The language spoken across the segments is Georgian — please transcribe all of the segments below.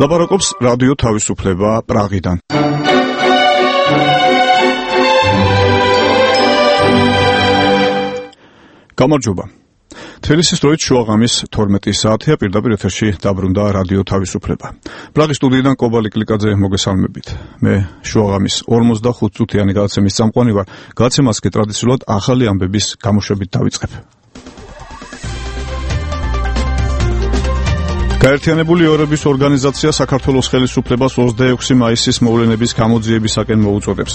ლაპარაკობს რადიო თავისუფლება პრაღიდან. გამარჯობა. თბილისის დროით შუაღამის 12 საათია, პირდაპირ ეთერში დაბრუნდა რადიო თავისუფლება. პრაღის სტუდიიდან კობალი კლიკაძე მოგესალმებით. მე შუაღამის 45 წუთიანი გადაცემის წამყვანი ვარ. გადაცემას კი ტრადიციულად ახალი ამბების გამოშვებით დავიწყებ. გაერთიანებული ერების ორგანიზაცია საქართველოს ხელისუფლებას 26 მაისის მოვლენების გამოძიებისაკენ მოუწოდებს.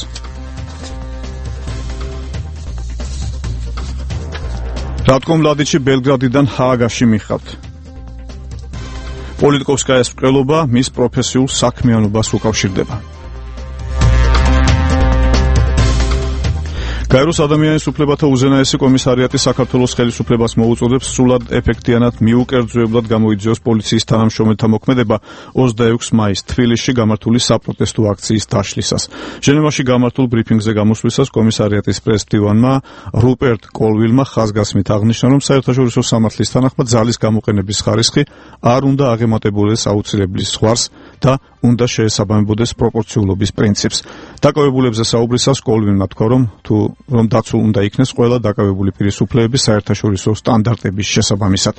რატკო მლადიჩი ბელგრადიდან ჰააგაში მიხავთ. პოლიტიკოვსკაიას მკვლელობა მის პროფესიულ საქმიანობას უკავშირდება. გაეროს ადამიანის უფლებათა უზენაესი კომისარიატი საქართველოს ხელისუფლებას მოუწოდებს სრულად ეფექტიანად მიუკერძოებლად გამოიძიოს პოლიციის თანამშრომელთა მოქმედება 26 მაისს თბილისში გამართული საპროტესტო აქციის დაშლისას. ჟენევაში გამართულ ბრიფინგზე გამოსვლისას კომისარიატის პრეზიდენტმა რუპერტ კოლვილმა ხაზგასმით აღნიშნა, რომ საერთაშორისო სამართლის თანახმად ძალის გამოყენების ხარისხი არ უნდა აღემატებოდეს აუცილებლის ზღვარს და უნდა შეესაბამებოდეს პროპორციულობის პრინციპს. დაკავებულებზე საუბრისას კოლვილმა თქვა, რომ დაცულ უნდა იქნეს ყველა დაკავებული პირის უფლებების საერთაშორისო სტანდარტების შესაბამისად.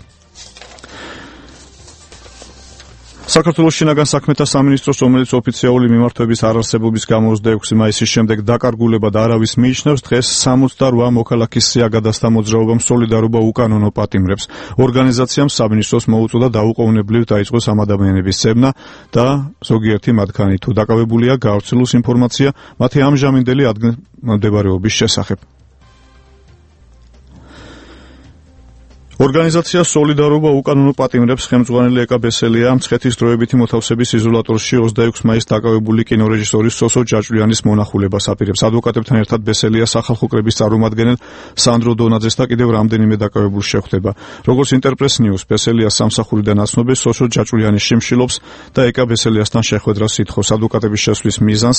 საქართველოს შინაგან საქმეთა სამინისტროს, რომელიც ოფიციალური მიმართვების არარსებობის გამო 26 მაისის შემდეგ დაკარგულებად არავის მიიჩნევს, დღეს 68 მოქალაქის სიაგადასთა მოძრაობამ სოლიდარობა უკანონო პატიმრებს. ორგანიზაციამ სამინისტროს მოუწოდა დაუყოვნებლივ დაიწყოს ამ ადამიანების ცებნა და ზოგიერთი მათგანი თუ დაკავებულია გავრცელოს ინფორმაცია მათი ამჟამინდელი ადგილმდებარეობის შესახებ. ორგანიზაცია სოლიდარობა უკანონო პატიმრებს ხელმძღვანელი ეკა ბესელია მცხეთის დროებითი მოთავსების იზოლატორში 26 მაისს დაკავებული კინორეჟისორის სოსო ჯაჭვიანის მონახულებას აპირებს. ადვოკატებთან ერთად ბესელია სახალხო კრების წარმომადგენელ სანდრო დონაძეს და კიდევ რამდენიმე დაკავებულს შეხვდება. როგორც ინტერპრეს ნიუს, ბესელიას სამსახურიდან აცნობეს სოსო ჯაჭვიანი შიმშილობს და ეკა ბესელიასთან შეხვედრას ითხოვს. ადვოკატების შესვლის მიზანს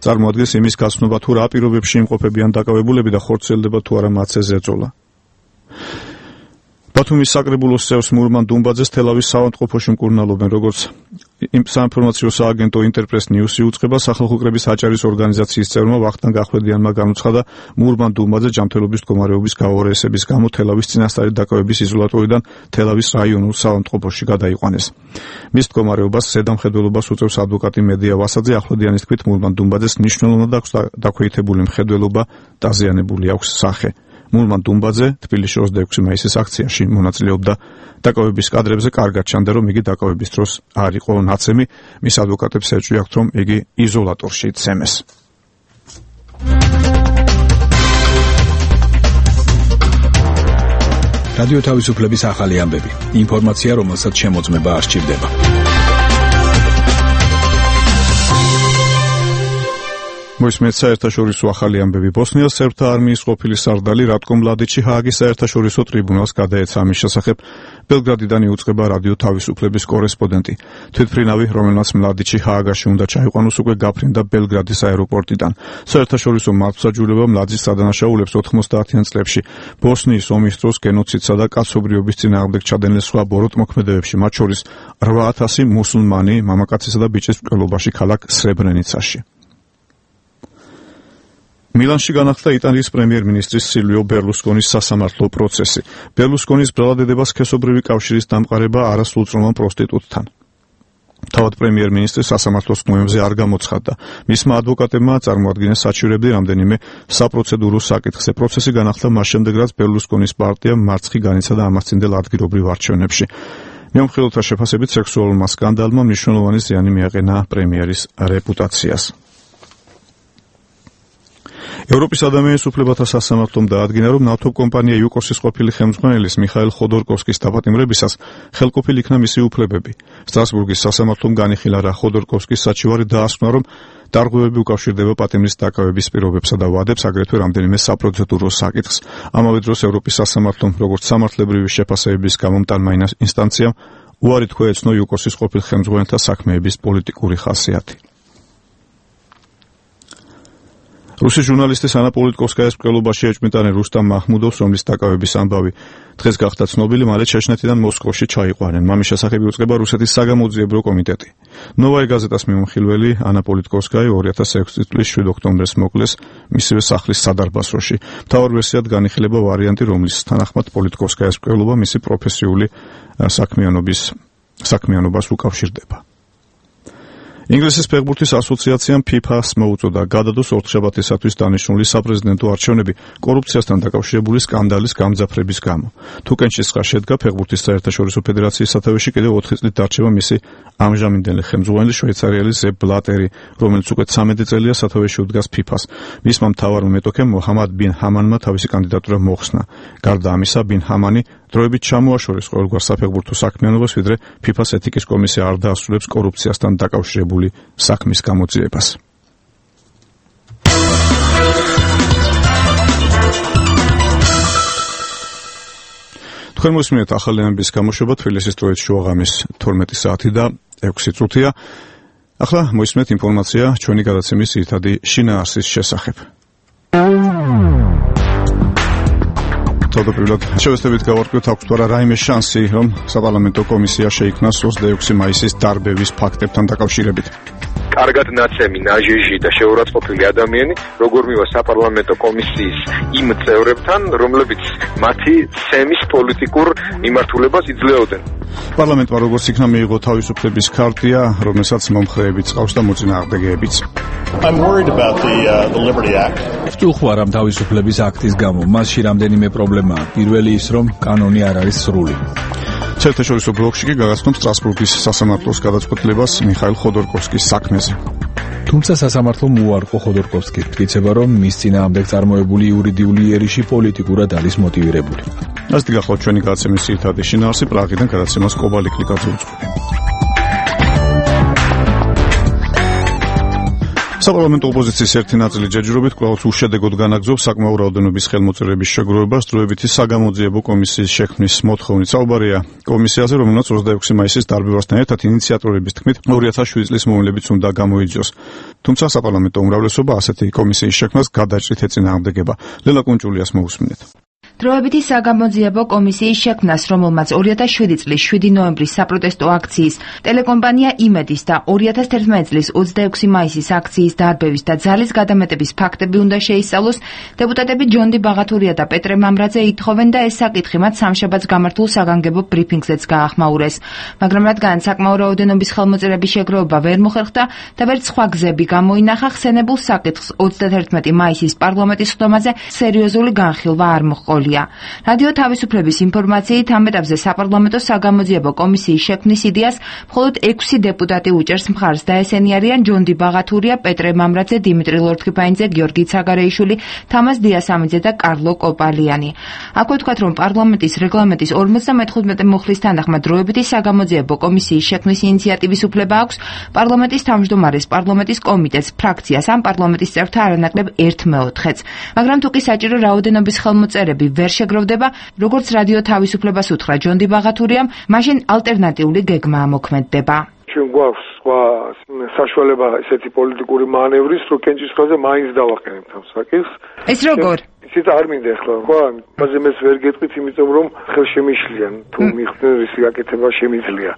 წარმოადგენს იმის გაცნობა, თუ რა პირობებში იმყოფებიან დაკავებულები და ხორციელდება თუ არა მათზე ზეწოლა. ბათუმის საკრებულოს წევს მურმან დუმბაძეს თელავის საავადმყოფოში მკურნალობენ, როგორც საინფორმაციო სააგენტო ინტერპრეს ნიუსი უწყება, სახალხო კრების აჭარის ორგანიზაციის წევრმა ვახტანგ ახვლედიანმა განუცხადა, მურმან დუმბაძე ჯანმრთელობის მდგომარეობის გაუარესების გამო თელავის წინასწარი დაკავების იზოლატორიდან თელავის რაიონულ საავადმყოფოში გადაიყვანეს. მის მდგომარეობას ზედამხედველობას უწევს ადვოკატი მედია ვასაძე. ახვლედიანის თქმით, მურმან დუმბაძეს მნიშვნელოვნად აქვს დაქვეითებული მხედველობა, დაზიანებული აქვს სახე. მურმან დუმბაძე თბილისში 26 მაისის აქციაში მონაწილეობდა. დაკავების კადრებზე კარგად ჩანდა, რომ იგი დაკავების დროს არ იყო ნაცემი. მის ადვოკატებს ეჭვი აქვთ, რომ იგი იზოლატორში იცემეს. რადიო თავისუფლების ახალი ამბები. ინფორმაცია, რომელსაც შემოწმება არ სჭირდება. მოისმენთ საერთაშორისო ახალი ამბები. ბოსნიას სერბთა არმიის ყოფილი სარდალი რატკო მლადიჩი ჰააგის საერთაშორისო ტრიბუნალს გადაეცა. ამის შესახებ ბელგრადიდან იუწყება რადიო თავისუფლების კორესპონდენტი. თვითმფრინავი, რომელმაც მლადიჩი ჰააგაში უნდა ჩაიყვანოს, უკვე გაფრინდა ბელგრადის აეროპორტიდან. საერთაშორისო მართლმსაჯულება მლადის სადანაშაულებს 90-იან წლებში ბოსნიის ომის დროს გენოციდსა და კაცობრიობის წინააღმდეგ ჩადენილ სხვა ბოროტ მოქმედებებში, მათ შორის 8000 მუსულმანი მამაკაცისა და ბიჭის მკვლელობაში ქალაქ სრებრენიცაში. მილანში განახლდა იტალიის პრემიერ-მინისტრის სილვიო ბერლუსკონის სასამართლო პროცესი. ბერლუსკონის ბრალადედებას სქესობრივი კავშირის დამყარება არასრულწლოვან პროსტიტუტთან. თავად პრემიერ-მინისტრი სასამართლოს მოემზე არ გამოცხადდა. მისმა ადვოკატებმა წარმოადგინეს საჩივრები რამდენიმე საპროცედურო საკითხზე. პროცესი განახლდა მას შემდეგ, რაც ბერლუსკონის პარტია მარცხი განიცა და ამასწინდელ ადგილობრივ არჩევნებში. მეომხილოთა შეფასებით სექსუალურმა სკანდალმა მნიშვნელოვანი ზიანი მიაყენა პრემიერის რეპუტაციას. ევროპის ადამიანის უფლებათა სასამართლომ დაადგინა, რომ ნავთობ კომპანია იუკოსის ყოფილი ხელმძღვანელის მიხაილ ხოდორკოვსკის დაპატიმრებისას ხელყოფილ იქნა მისი უფლებები. სტრასბურგის სასამართლომ განიხილა, რა ხოდორკოვსკის საჩივარი დაასკვნა, რომ დარღვევები უკავშირდება პატიმრის დაკავების პირობებსა და ვადებს, აგრეთვე რამდენიმე საპროცედურო საკითხს. ამავე დროს ევროპის სასამართლომ, როგორც სამართლებრივი შეფასებების გამომტანმა ინსტანციამ, უარი თქვა ეცნო იუკოსის ყოფილ ხელმძღვანელთა საქმეების პოლიტიკური ხასიათი. რუსი ჟურნალისტის ანა პოლიტკოვსკაიას მკვლელობაში ეჭვმიტანილ რუსტამ მაჰმუდოვს, რომლის დაკავების ამბავი დღეს გახდა ცნობილი, მალე ჩეჩნეთიდან მოსკოვში ჩაიყვანენ. მამის შესახებ იუწყება რუსეთის საგამოძიებრო კომიტეტი. ნოვაი გაზეტას მიმოხილველი ანა პოლიტკოვსკაი 2006 წლის 7 ოქტომბერს მოკლეს მისივე სახლის სადარბაზოში. მთავარ ვერსიად განიხილება ვარიანტი, რომლის თანახმად პოლიტკოვსკაის მკვლელობა მისი პროფესიული საქმიანობას უკავშირდება. ინგლისის ფეხბურთის ასოციაციამ FIFA-ს მოუწოდა გადადოს ოთხშაბათისათვის დანიშნული საპრეზიდენტო არჩევნები კორუფციასთან დაკავშირებული სკანდალის გამძაფრების გამო. თუ კენჭისყრა შედგა, ფეხბურთის საერთაშორისო ფედერაციის სათავეში კიდევ 4 წლით დარჩება მისი ამჟამინდელი ხელმძღვანელი შვეიცარიელი ზებ ბლატერი, რომელიც უკვე 13 წელია სათავეში უდგას FIFA-ს. მისმა მთავარმა მეტოქემ მოჰამად ბინ ჰამანმა თავისი კანდიდატურა მოხსნა. გარდა ამისა, ბინ ჰამანი დროებით ჩამოაშორეს ყოველგვარ საფეხბურთო საქმიანობას, ვიდრე FIFA-ს ეთიკის კომისია არ დაასრულებს კორუფციასთან დაკავშირებული საქმის გამოძიებას. თქვენ მოსმენთ ახალი ამბის გამოშვება თბილისის დროით შუაღამის 12 საათი და 6 წუთია. ახლა მოისმენთ ინფორმაცია ჩვენი გადაცემის ძირითადი შინაარსის შესახებ. თავდაპირველად შევეცდებით გავარკვიოთ, აქვს თუ არა რაიმე შანსი, რომ საპარლამენტო კომისია შეიქმნას 26 მაისის დარბევის ფაქტებთან დაკავშირებით. კარგად ნაცემი, ნაჟეჟი და შეურაცხყოფილი ადამიანი, როგორ მივა საპარლამენტო კომისიის იმ წევრებთან, რომლებიც მათი ცემის პოლიტიკურ მიმართულებას იძლეოდნენ. პარლამენტმა როგორც იქნა მიიღო თავისუფლების ქარტია, რომელსაც მომხრეებიც ყავს და მოწინააღმდეგეებიც. I'm worried about the Liberty Act. ვწუხარ ამ თავისუფლების აქტის გამო, მასში რამდენიმე პრობლემაა. პირველი ის, რომ კანონი არ არის სრული. საერთაშორისო ბლოკში კი გაგაცნობ სტრასბურგის სასამართლოს გადაწყვეტილებას მიხაილ ხოდორკოვსკის საქმეზე. თუმცა სასამართლომ უარყო ხოდორკოვსკი, თქიება, რომ მის წინააღმდეგ წარმოებული იურიდიული იერიში პოლიტიკურად არის მოტივირებული. ასე გახლავთ ჩვენი გადაცემის ძირითადი შინაარსი, პრაღიდან გადაცემას კობალიკლიკვაძე უწყობი. საპარლამენტო ოპოზიციის ერთი ნაწილი ჯერჯერობით კვლავ უშედეგოდ განაგრძობს საკმაო რაოდენობის ხელმოწერების შეგროვებას დროებითი საგამოძიებო კომისიის შექმნის მოთხოვნით. საუბარია კომისიაზე, რომელმაც 26 მაისის დარბევასთან ერთად ინიციატორების თქმით 2007 წლის მოვლენებიც უნდა გამოიძიოს. თუმცა საპარლამენტო უმრავლესობა ასეთი კომისიის შექმნას გადაჭრით ეწინააღმდეგება. ლელა კუნჭულიას მოусმინეთ. დროებითი საგამოძიებო კომისიის შექმნას, რომელმაც 2007 წლის 7 ნოემბრის საპროტესტო აქციის ტელეკომპანია იმედის და 2011 წლის 26 მაისის აქციის დარბევის და ძალის გადამეტების ფაქტები უნდა შეისწავლოს, დეპუტატები ჯონდი ბაღათურია და პეტრე მამრაძე ითხოვენ და ეს საკითხი მათ სამშაბათს გამართულ საგანგებო ბრიფინგზეც გაახმაურეს. მაგრამ რადგან საკმაო რაოდენობის ხელმოწერების შეგროვება ვერ მოხერხდა და ვერც სხვა გზები გამოინახა, ხსენებულ საკითხს 31 მაისის პარლამენტის ხდომაზე სერიოზული განხილვა არ მოჰყოლია. რადიო თავისუფლების ინფორმაციით ამ ეტაპზე საპარლამენტო საგამოძიებო კომისიის შექმნის იდეას მხოლოდ 6 დეპუტატი უჭერს მხარს და ესენი არიან ჯონდი ბაღათურია, პეტრე მამრაძე, დიმიტრი ლორთქიფანიძე, გიორგი ცაგარეიშვილი, თამაზ დიასამიძე და კარლო კოპალიანი. აქვე ვთქვათ, რომ პარლამენტის რეგლამენტის 55 მუხლის თანახმად დროებითი საგამოძიებო კომისიის შექმნის ინიციატივის უფლება აქვს პარლამენტის თავმჯდომარეს, პარლამენტის კომიტეტს, ფრაქციას ან პარლამენტის წევრთა არანაკლებ 1/4-ს. მაგრამ თუ კი საჭირო რაოდენობის ხელმოწერები ვერ შეგროვდება, როგორც რადიო თავისუფლებას უთხრა ჯონდი ბაღათურიამ, მაშინ ალტერნატიული გეგმა მოქმედდება. ჩვენ გვაქვს სხვა საშუალება ესეთი პოლიტიკური მანევრის, რომ კენჭისყრაზე მაინც დავაყენებთ ამ საკითხს. ეს როგორ? ისიც არ მინდა ახლა, ხო, ამაზე მეც ვერ გეტყვით, იმიტომ რომ ხელშემიშლიან, თუ მიხდნენ რისი გაკეთება შემიძლია.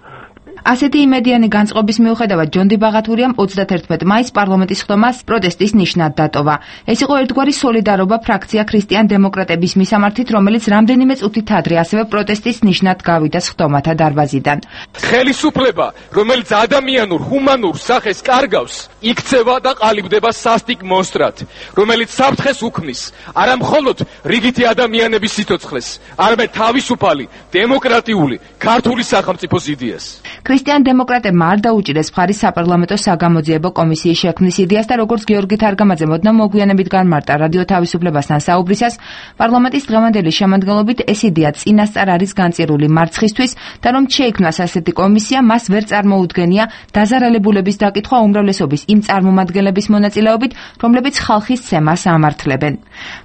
ასეთი იმედიანი განწყობის მიუხედავად ჯონდი ბაღათურიამ 31 მაისს პარლამენტის ხდომას პროტესტის ნიშნად დატოვა. ეს იყო ერთგვარი სოლიდარობა ფრაქცია ქრისტიან დემოკრატების მისამართით, რომელიც რამდენიმე წუთით ადრე ასევე პროტესტის ნიშნად გავიდა ხდომათა დარბაზიდან. ხელისუფლება, რომელიც ადამიანურ, ჰუმანურ სახეს კარგავს, იქცევა და ყალიბდება სასტიკ მონსტრად, რომელიც საფრთხეს უქმნის არა მხოლოდ რიგითი ადამიანების სიცოცხლეს, არამედ თავისუფალი, დემოკრატიული, ქართული სახელმწიფოს იდეას. ქრისტიან დემოკრატებმა არ დაუჭირეს მხარი საპარლამენტო საგამოძიებო კომისიის შექმნის იდეას და როგორც გიორგი თარგამაძე მოდნა მოგვიანებით განმარტა რადიო თავისუფლებასთან საუბრისას, პარლამენტის დღევანდელი შემადგენლობით ეს იდეა წინასწარ არის განწირული მარცხისთვის და რომ შეიქმნას ასეთი კომისია, მას ვერ წარმოუდგენია დაზარალებულების დაკითხვა უმრავლესობის იმ წარმომადგენლების მონაწილეობით, რომლებიც ხალხის ცემას ამართლებენ.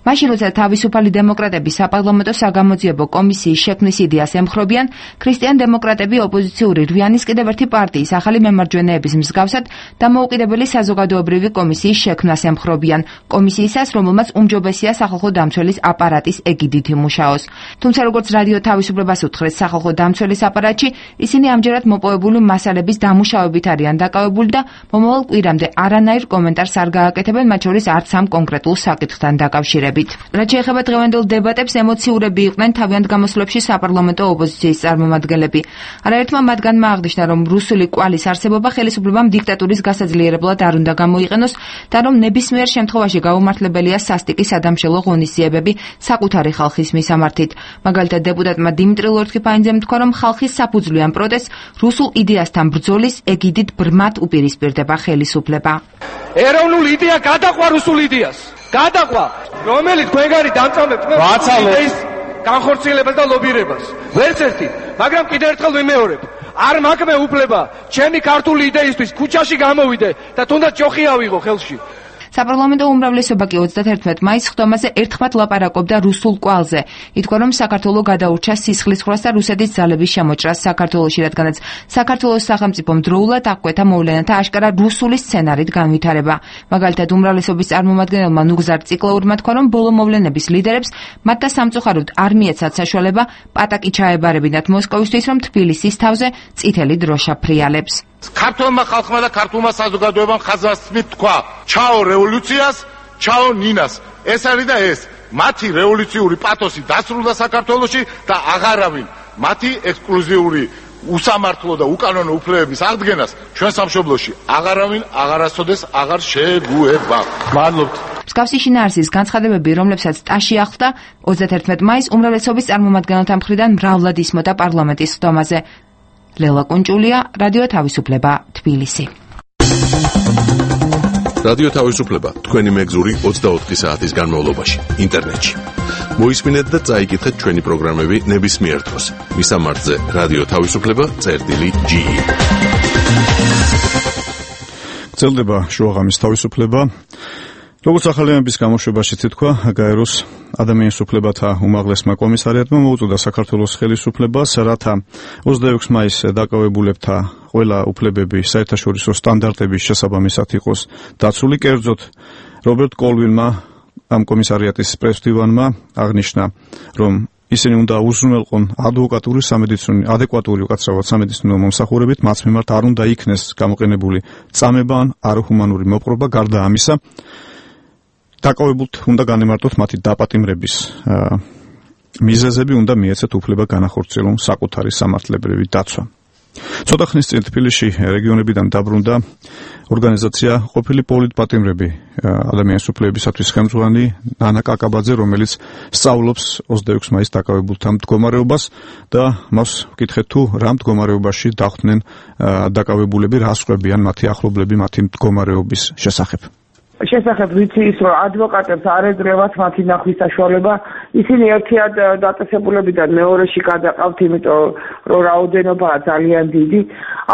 მაშინ როცა თავისუფალი დემოკრატები საპარლამენტო საგამოძიებო კომისიის შექმნის იდეას ემხრობიან, ქრისტიან დემოკრატები ოპოზიციური რვიანი ისინი კიდევ ერთი პარტიის ახალი მემარჯვენეების მსგავსად დამოუკიდებელი საზოგადოებრივი კომისიის შექმნას ემხრობიან, კომისიისას, რომელმაც უმჯობესია სახალხო დამცველის აპარატის ეგიდით იმუშაოს. თუმცა როგორც რადიო თავისუფლებას უთხრეს, სახალხო დამცველის აპარატში ისინი ამჯერად მოპოვებული მასალების დამუშავებით არიან დაკავებული და მომავალ კვირამდე არანაირ კომენტარს არ გააკეთებენ, მათ შორის არც ამ კონკრეტულ საკითხთან დაკავშირებით. რაც შეეხება დღევანდელ დებატებს, ემოციურები იყვნენ თავიანთ გამოსვლებში საპარლამენტო ოპოზიციის წარმომადგენლები. არაერთმა მათგანმა აღნიშნა, რომ რუსული კვალის არსებობა ხელისუფლებამ დიქტატურის გასაძლიერებლად არ უნდა გამოიყენოს და რომ ნებისმიერ შემთხვევაში გაუმართლებელია სასტიკი სადამშელო ღონისძიებები საკუთარი ხალხის მისამართით. მაგალითად, დეპუტატმა დიმიტრი ლორთქიფანიძემ თქვა, რომ ხალხის საფუძვლიან პროტესტს რუსულ იდეასთან ბრძოლის ეგიდით ბრმად უპირისპირდება ხელისუფლება. ეროვნული იდეა გადაყვა რუსულ იდეას. გადაყვა, რომელიც თქვენგანი დამწამებთ იდეის განხორციელებას და ლობირებას. ვერც ერთი, მაგრამ კიდევ ერთხელ ვიმეორებ, არ მაქვს უფლება ჩემი ქართული იდეისთვის ქუჩაში გამოვიდე და თუნდაც ჯოხი ავიღო ხელში. საპარლამენტო უმრავლესობა კი 31 მაისს ხდომაზე ერთხმად ლაპარაკობდა რუსულ კვალზე. ითქვა, რომ საქართველო გადაურჩა სისხლისღვრას და რუსეთის ძალების შემოჭრას საქართველოში, რადგანაც საქართველოს სახელმწიფომ დროულად აღკვეთა მოვლენათა აშკარა რუსული სცენარით განვითარება. მაგალითად, უმრავლესობის წარმომადგენელმა ნუგზარ ციკლაურმა თქვა, რომ ბოლო მოვლენების ლიდერებს მათ და სამწუხაროდ არ მიეცათ საშუალება პატაკი ჩაებარებინათ მოსკოვისთვის, რომ თბილისის თავზე წითელი დროშა ფრიალებს. ქართულმა ხალხმა და ქართულმა საზოგადოებამ ხაზგასმით თქვა: ჩაო რევოლუციას, ჩაო ნინას. ეს არის და ეს მათი რევოლუციური პათოსი დასრულდა საქართველოში და აღარავინ მათი ექსკლუზიური უსამართლო და უკანონო უფლებების აღდგენას ჩვენ სამშობლოში აღარავინ აღარასოდეს აღარ შეგუება. მადლობთ. მსგავსი შინაარსის განცხადებები, რომლებსაც ტაში ახლდა 31 მაისს უმრავლესობის წარმომადგენელთა მხრიდან მრავლად ისმოდა პარლამენტის ხდომაზე. ლელა კუნჭულია, რადიო თავისუფლება, თბილისი. რადიო თავისუფლება, თქვენი მეგზური 24 საათის განმავლობაში, ინტერნეტში. მოისმინეთ და წაიკითხეთ ჩვენი პროგრამები ნებისმიერ დროს. მისამართზე რადიო თავისუფლება.ge. გრძელდება შუაღამის თავისუფლება. როგორც ახალიანების გამოშვებაში თქვა, გაეროს ადამიანის უფლებათა უმაღლესმა კომისარიატმა მოუწოდა საქართველოს ხელისუფლებას, რათა 26 მაისს დაკავებულებთა ყველა უფლებები საერთაშორისო სტანდარტების შესაბამისად იყოს დაცული. კერძოდ, რობერტ კოლვინმა, ამ კომისარიატის პრეზიდენტმა აღნიშნა, რომ ისინი უნდა უზრუნველყონ ადეკვატური სამედიცინო მომსახურებით, მათ მიმართ არ უნდა იქნეს გამოყენებული წამება ან არაჰუმანური მოპყრობა. გარდა ამისა, დაკავებულთ უნდა განემარტოთ მათი დაპატიმრების მიზეზები, უნდა მიეცეთ უფლება განახორციელონ საკუთარი სამართლებრივი დაცვა. ცოტა ხნის წინ თბილისში რეგიონებიდან დაბრუნდა ორგანიზაცია ყოფილი პოლიტპატიმრები ადამიანის უფლებებისათვის ხელმძღვანელი ნანა კაკაბაძე, რომელიც სწავლობს 26 მაისს დაკავებულთა მდგომარეობას და მას ვკითხეთ თუ რა მდგომარეობაში დახვდნენ დაკავებულები, რა სხვებიან მათი ახლობლები მათი მდგომარეობის შესახებ. შესახებ ვიცი ის, რომ ადვოკატებს არ ეძრევათ მათი ნახვის საშუალება, ისინი ერთიად დაწესებულებიდან მეორეში გადაყავთ, იმიტომ რომ რაოდენობაა ძალიან დიდი.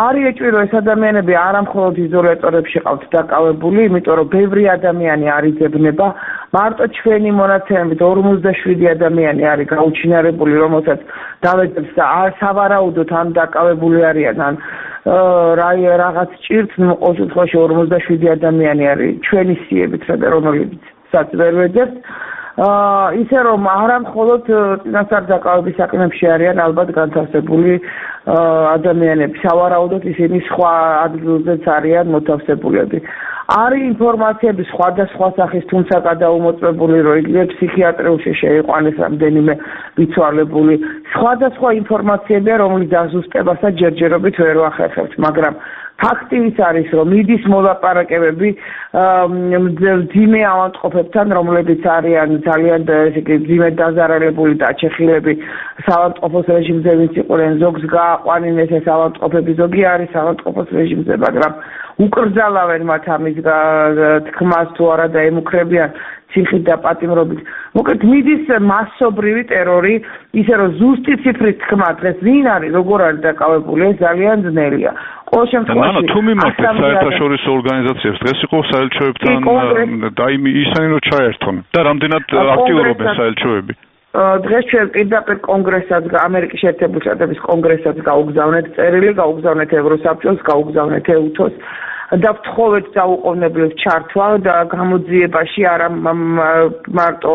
არ ეჭვი, რომ ეს ადამიანები არა მხოლოდ იზოლატორებში ყავთ დაკავებული, იმიტომ რომ ბევრი ადამიანი არ იძებნება. მარტო ჩვენი მონაცემებით 47 ადამიანი არის გაუჩინარებული, რომელსაც დავეძებს და სავარაუდოდ ან დაკავებული არიან, ან რაღაც ჭირთ, ყოველ შემთხვევაში 47 ადამიანი არის ჩვენი სიებით, რომელსაც ვერ ვეძებთ. ისე რომ არა მხოლოდ წინასწარ დაკავების საქმეებში არიან ალბათ განთავსებული ადამიანები, სავარაუდოდ ისინი სხვა ადგილზეც არიან მოთავსებულები. არის ინფორმაციები სხვადასხვა სახის, თუმცა გადაუმოწმებული, რომ იგივე ფსიქიატრიულში შეიყვანეს რამდენიმე მიცვალებული. სხვადასხვა ინფორმაციებია, რომლის დაზუსტებასაც ჯერჯერობით ვერ ვახერხებთ, მაგრამ ფაქტი ის არის, რომ მიდის მოლაპარაკებები მძიმე ავადმყოფებთან, რომლებიც არიან ძალიან მძიმედ დაზარალებული და ჩეხილები საავადმყოფოს რეჟიმზე, ვინც იყვნენ, ზოგს გააყვანინეს ეს ავადმყოფები, ზოგი არის ავადმყოფოს რეჟიმზე, მაგრამ უკრძალავენ მათ ამის თქმას თუ არა და ემუქრებიან ციხით და პატიმრობით. მოკლედ მიდის მასობრივი ტერორი, ისე რომ ზუსტი ციფრით თქმა დღეს ვინ არის, როგორ არის დაკავებული, ეს ძალიან ძნელია. ყოველ შემთხვევაში თუ მიმართეთ საერთაშორისო ორგანიზაციებს, დღეს იყო საელჩოებთან და ისინი რომ ჩაერთონ და რამდენად აქტიურობენ საელჩოები? დღეს ჩვენ პირდაპირ კონგრესსაც, ამერიკის შეერთებული შტატების კონგრესსაც გაუგზავნეთ წერილი, გაუგზავნეთ ევროსაბჭოს, გაუგზავნეთ EUTHO-ს და ვთხოვეთ დაუყოვნებლივ ჩართვა და გამოძიებაში არა მარტო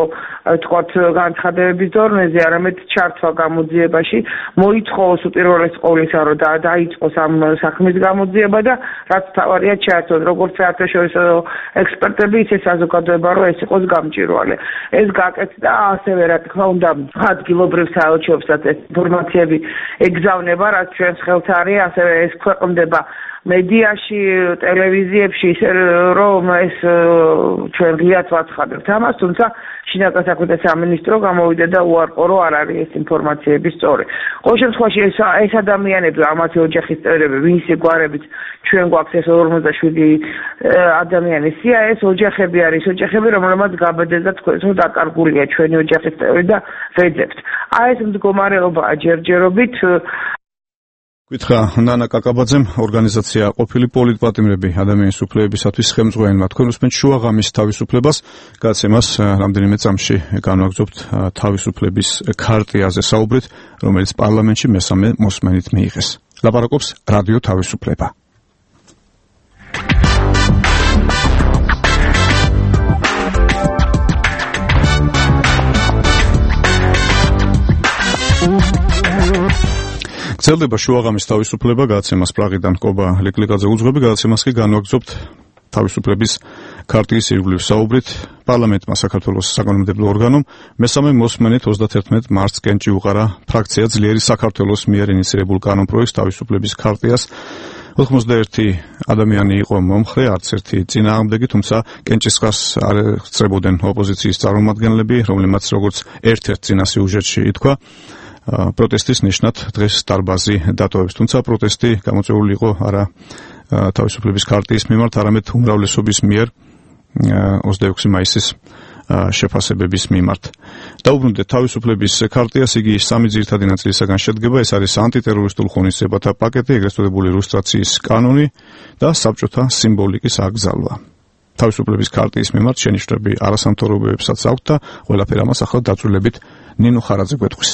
თქვათ განცხადებების დონეზე, არამედ ჩართვა გამოძიებაში მოითხოვოს უპირველეს ყოვლისა, რომ დაიწყოს ამ საქმის გამოძიება და რაც თავარია ჩაერთონ როგორც საერთაშორისო ექსპერტები, ისე საზოგადოება, რომ ეს იყოს გამჭვირვალე. ეს გაკეთდა ასევე რა თქმა უნდა ადგილობრივ საელჩოებსაც ეს ინფორმაციები ეგზავნება, რაც ჩვენს ხელთ არის, ასევე ეს ქვეყნდება მედიაში, ტელევიზიებში, რომ ეს ჩვენ ღიად ვაცხადებთ ამას, თუმცა შინაგან საქმეთა სამინისტრო გამოვიდა და უარყო, რომ არ არის ეს ინფორმაციები სწორი. ყოველ შემთხვევაში ეს ადამიანები, ამათი ოჯახის წევრები, ვინსი გვარებით ჩვენ გვაქვს ეს 57 ადამიანის სია, ეს ოჯახები არის, ოჯახები, რომლებმაც გაბედეს და თქვენს რომ დაკარგულია ჩვენი ოჯახის წევრი და ვეძებთ. ეს მდგომარეობაა ჯერჯერობით. გითხრა ნანა კაკაბაძემ, ორგანიზაცია ყოფილი პოლიტპატიმრები ადამიანის უფლებებისათვის ხელმძღვანელმა, თქვენ უსმენთ შუაღამის თავისუფლებას, გადაცემას რამდენიმე წამში განვაგრძობთ თავისუფლების ქარტიაზე საუბრით, რომელიც პარლამენტში მესამე მოსმენით მიიღეს. ლაპარაკობს რადიო თავისუფლება. გრძელდება შუაღამის თავისუფლება, გადაცემას პრაღიდან კობა ლეკლიკაძე უძღვები, გადაცემას კი განვაგრძობთ თავისუფლების ქარტიის ირგვლივ საუბრით. პარლამენტმა საქართველოს საკანონმდებლო ორგანომ მესამე მოსმენით 31 მარტს კენჭი უყარა ფრაქცია ძლიერი საქართველოს მიერ ინიცირებულ კანონპროექტს თავისუფლების ქარტიას. 91 ადამიანი იყო მომხრე, არც ერთი წინააღმდეგი, თუმცა კენჭისყრას არ ეხწრებოდნენ ოპოზიციის წარმომადგენლები, რომლებმაც როგორც ერთ-ერთ წინა სიუჟეტში ითქვა, პროტესტის ნიშნად დღეს დარბაზი დატოვებს, თუმცა პროტესტი გამოწვეული იყო არა თავისუფლების ქარტიის მიმართ, არამედ უმრავლესობის მიერ 26 მაისის შეფასებების მიმართ. დაუბრუნდეთ თავისუფლების ქარტიას, იგი სამი ძირითადი ნაწილისაგან შედგება, ეს არის ანტიტერორისტულ ღონისძიებათა პაკეტი, ეგრეთ წოდებული ლუსტრაციის კანონი და საბჭოთა სიმბოლიკის აკრძალვა. თავისუფლების ქარტიის მიმართ შენიშვნები არასამთავრობოებსაც აქვთ და ყველაფერ ამას ახლა დაწვრილებით ნინო ხარაძე გვეტყვის.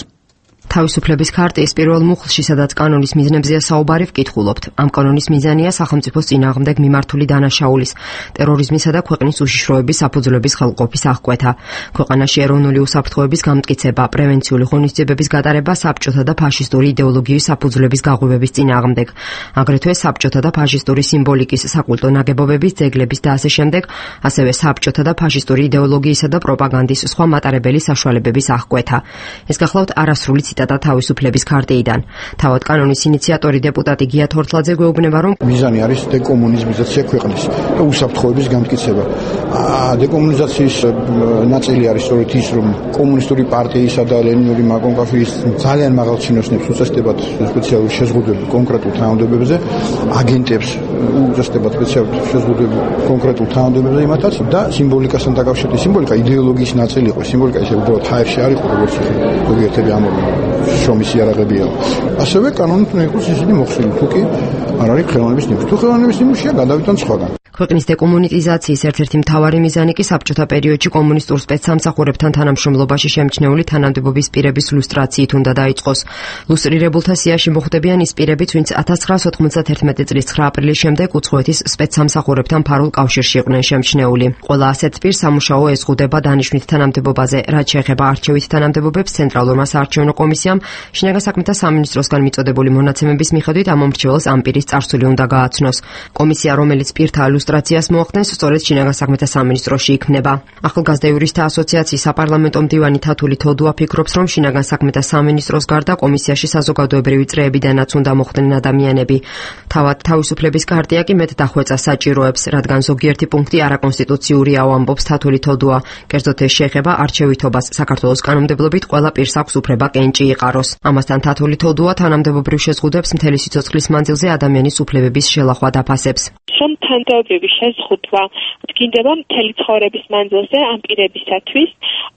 თავისუფლების ქარტიის პირველ მუხლში, სადაც კანონის მიზნებზეა საუბარი, ვკითხულობთ. ამ კანონის მიზანია სახელმწიფოს წინააღმდეგ მიმართული დანაშაულის, ტერორიზმისა და ქვეყნის უშიშროების საფუძვლების ხელყოფის აღკვეთა, ქვეყანაში ეროვნული უსაფრთხოების გამტკიცება, პრევენციული ღონისძიებების გატარება საბჭოთა და ფაშისტური იდეოლოგიის საფუძვლების გაღვივების წინააღმდეგ, აგრეთვე საბჭოთა და ფაშისტური სიმბოლიკის, საკულტო ნაგებობების, ძეგლების და ასე შემდეგ, ასევე საბჭოთა და ფაშისტური იდეოლოგიისა და პროპაგანდის სხვა მატარებელი საშუალებების აღკვეთა. ეს გახლავთ არასრული ციტატა თავისუფლების ქარტიიდან. თავად კანონის ინიციატორი დეპუტატი გია თორთლაძე გვეუბნება, რომ მიზანი არის დეკომუნიზმიზაცია ქვეყნის და უსაფრთხოების გამტკიცება. დეკომუნიზაციის ნაწილი არის სწორედ ის, რომ კომუნისტური პარტიისა და ლენინური მაკონკაფის ძალიან მაღალ ჩინოსნებს უწესდებათ სპეციალური შეზღუდვები კონკრეტულ თანამდებობებზე, აგენტებს უწესდებათ სპეციალური შეზღუდვები კონკრეტულ თანამდებობებზე იმათაც და სიმბოლიკასთან დაკავშირებით. სიმბოლიკა იდეოლოგიის ნაწილი იყო, სიმბოლიკა ესე უბრალოდ ჰაერში არ იყო, როგორც ზოგიერთები ამბობენ. შრომის იარაღებია. ასევე კანონით უნდა იყოს ისინი მოხსნილი, თუ კი არ არის ხელოვნების ნიმუში. თუ ხელოვნების ნიმუშია, გადავიდან სხვაგან. ქვეყნის დეკომუნიზაციის ერთ-ერთი მთავარი მიზანი კი საბჭოთა პერიოდში კომუნისტურ სპეცსამსახურებთან თანამშრომლობაში შემჩნეული თანამდებობის პირების ლუსტრაციით უნდა დაიწყოს. ლუსტრირებულთა სიაში მოხვდებიან ის პირებიც, ვინც 1991 წლის 9 აპრილის შემდეგ უცხოეთის სპეცსამსახურებთან ფარულ კავშირში იყვნენ შემჩნეული. ყველა ასეთ პირს სამუშაო ეზღუდება დანიშვნით თანამდებობაზე, რაც შეეხება არჩევით თანამდებობებს ცენტრალურმა საარჩევნო კომისიამ შინაგან საქმეთა სამინისტროსგან მიწოდებული მონაცემების მიხედვით ამ მომრჩეველს ამ პირის წარსული უნდა გააცნოს. კომისია, რომელიც პირთა ლუსტრაციას მოახდენს, სწორედ შინაგან საქმეთა სამინისტროში იქმნება. ახალგაზრდა იურისტთა ასოციაციის საპარლამენტო მდივანი თათული თოდუა ფიქრობს, რომ შინაგან საქმეთა სამინისტროს გარდა კომისიაში საზოგადოებრივი წრეებიდანაც უნდა მოხვდნენ ადამიანები. თავად თავისუფლების ქარტია კი მეტ დახვეწას საჭიროებს, რადგან ზოგიერთი პუნქტი არაკონსტიტუციურია, ამბობს თათული თოდუა. კერძოდ ეს შეეხება არჩევითობას. საქართველოს კანონმდებლობით ყველა პირს აქვს უფლება კენჭი იყაროს. ამასთან თათული თოდუა თანამდებობრივ შეზღუდვებს მთელი სიცოცხლის მანძილზე ადამიანის უფლებების შელახვა დაფასებს. Sometimes თანამდებობრივი შეზღუდვა დგინდება მთელი ცხოვრების მანძილზე ამ პირებისათვის,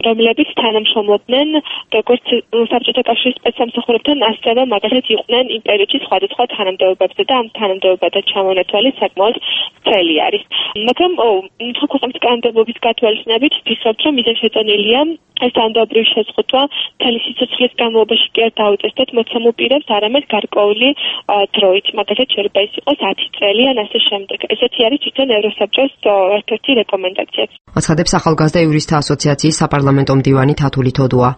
რომლებიც თანამშრომლობდნენ როგორც საბჭოთა კავშირის სპეცსამსახურებთან, ასევე მაგალითად იყვნენ იმ პერიოდში სხვადასხვა თანამდებობებზე და ამ თანამდებობათა ჩამონათვალი საკმაოდ მთელი არის. მაგრამ ქვეყნის კანონმდებლობის გათვალისწინებით ვფიქრობ, რომ მიზანშეწონილია ეს თანამდებობრივი შეზღუდვა მთელი სიცოცხლის განმავლობაში კი არ დაუწესდეთ მოცემულ პირებს, არამედ გარკვეული დროით, მაგალითად შეიძლება ის იყოს 10 წელი ან ასე შემდეგ. ესეთი არის თვითონ ევროსაბჭოს ერთ-ერთი რეკომენდაციაც. აცხადებს ახალგაზრდა იურისტთა ასოციაციის საპარლამენტო მდივანი თათული თოდუა.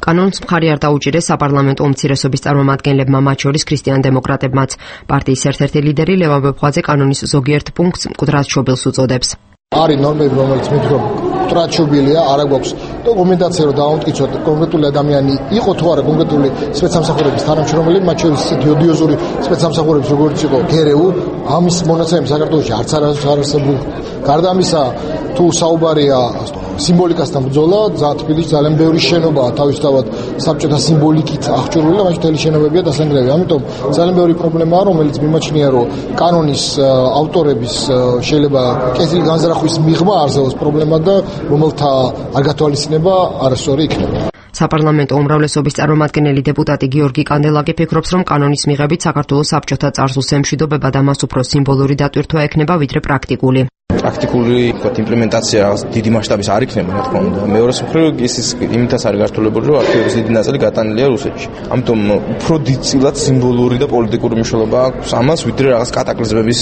კანონს მხარი არ დაუჭირეს საპარლამენტო უმცირესობის წარმომადგენლებმა, მათ შორის ქრისტიან-დემოკრატებმაც. პარტიის ერთ-ერთი ლიდერი ლევან ბეფხვაძე კანონის ზოგიერთ პუნქტს მკვდრად შობილს უწოდებს. არის ნორმები, რომელიც მითხრობ მკვდრად შობილია, არა გვაქვს დოკუმენტაცია, რომ დავამტკიცოთ კონკრეტული ადამიანი იყო თუ არა კონკრეტული სპეცსამსახურების თანამშრომელი, მათ შორის ისეთი ოდიოზური სპეცსამსახურების როგორც იყო გერეუ, ამის მონაცემები საქართველოში არც არ არსებობს. გარდა ამისა, თუ საუბარია სიმბოლიკასთან ბრძოლა, თბილისში ძალიან ბევრი შენობაა თავისთავად საბჭოთა სიმბოლიკით აღჭურვილი და მაშინ მთელი შენობებია დასანგრევი. ამიტომ ძალიან ბევრი პრობლემაა, რომელიც მიმაჩნია, რომ კანონის ავტორების შეიძლება კეთილი განზრახვის მიღმა არსებობს პრობლემა და რომელთა არ გათვალისწინება არასწორი იქნება. საპარლამენტო უმრავლესობის წარმომადგენელი დეპუტატი გიორგი კანდელაკი ფიქრობს, რომ კანონის მიღებით საქართველოს საბჭოთა წარსულს ემშვიდობება და მას უფრო სიმბოლური დატვირთვა ექნება, ვიდრე პრაქტიკული. პრაქტიკული იმპლემენტაცია დიდი მასშტაბის არ იქნება, რა თქმა უნდა. მეორე მხრივ ის იმითაც არის გართულებული, რომ არქივების დიდი ნაწილი გატანილია რუსეთში. ამიტომ უფრო დიდწილად სიმბოლური და პოლიტიკური მნიშვნელობა აქვს ამას, ვიდრე რაღაც კატაკლიზმების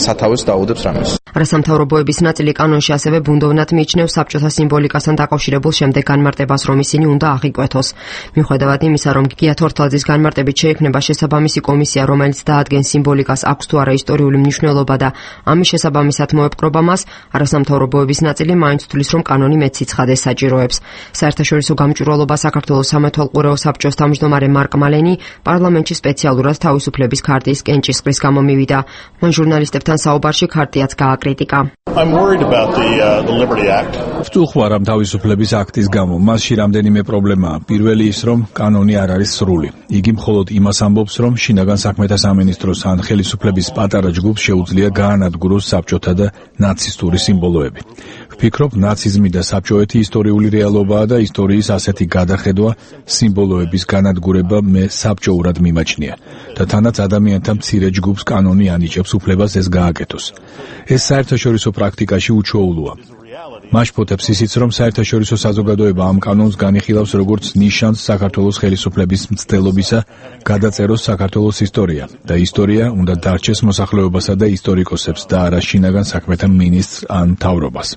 სათავეს დაუდებს რამეს. არასამთავრობოების ნაწილი კანონში ასევე ბუნდოვნად მიიჩნევს საბჭოთა სიმბოლიკასთან დაკავშირებულ შემდეგ განმარტებას, რომ ისინი უნდა აღიკვეთოს. მიუხედავად იმისა, რომ გია თორთლაძის განმარტებით შეიქმნება შესაბამისი კომისია, რომელიც დაადგენს სიმბოლიკას აქვს თუ არა ისტორიული მნიშვნელობა და ამის შესაბამისად მოეპყრობა მას, არასამთავრობოების ნაწილი მაინც თვლის, რომ კანონი მეტ სიცხადეს საჭიროებს. საერთაშორისო გამჭვირვალობა საქართველოს სამეთვალყურეო საბჭოს თავმჯდომარე მარკ მალენი პარლამენტში სპეციალურად თავისუფლების ქარტიის კენჭისყრის გამო მივიდა. მან ჟურნალისტებთან საუბარში ქარტიაც გააკრიტიკა. I'm worried about the Liberty Act. ვწუხარ ამ თავისუფლების აქტის გამო. მასში რამდენიმე პრობლემაა. პირველი ის, რომ კანონი არ არის სრული. იგი მხოლოდ იმას ამბობს, რომ შინაგან საქმეთა სამინისტროს ან ხელისუფლების პატარა ჯგუფს შეუძლია გაანადგუროს საბჭოთა და ნაცისტური სიმბოლოები. ვფიქრობ, ნაციზმი და საბჭოეთი ისტორიული რეალობაა და ისტორიის ასეთი გადახედვა, სიმბოლოების განადგურება მე საბჭოურად მიმაჩნია და თანაც ადამიანთა მცირე ჯგუფს კანონი ანიჭებს უფლებას ეს გააკეთოს. ეს საერთაშორისო პრაქტიკაში უჩვეულოა. მაშფოთებს ისიც, რომ საერთაშორისო საზოგადოება ამ კანონს განიხილავს როგორც ნიშანს საქართველოს ხელისუფლების მცდელობისა, გადაწეროს საქართველოს ისტორია და ისტორია უნდა დარჩეს მოსახლეობასა და ისტორიკოსებს და არა შინაგან საქმეთა მინისტრს ან მთავრობას.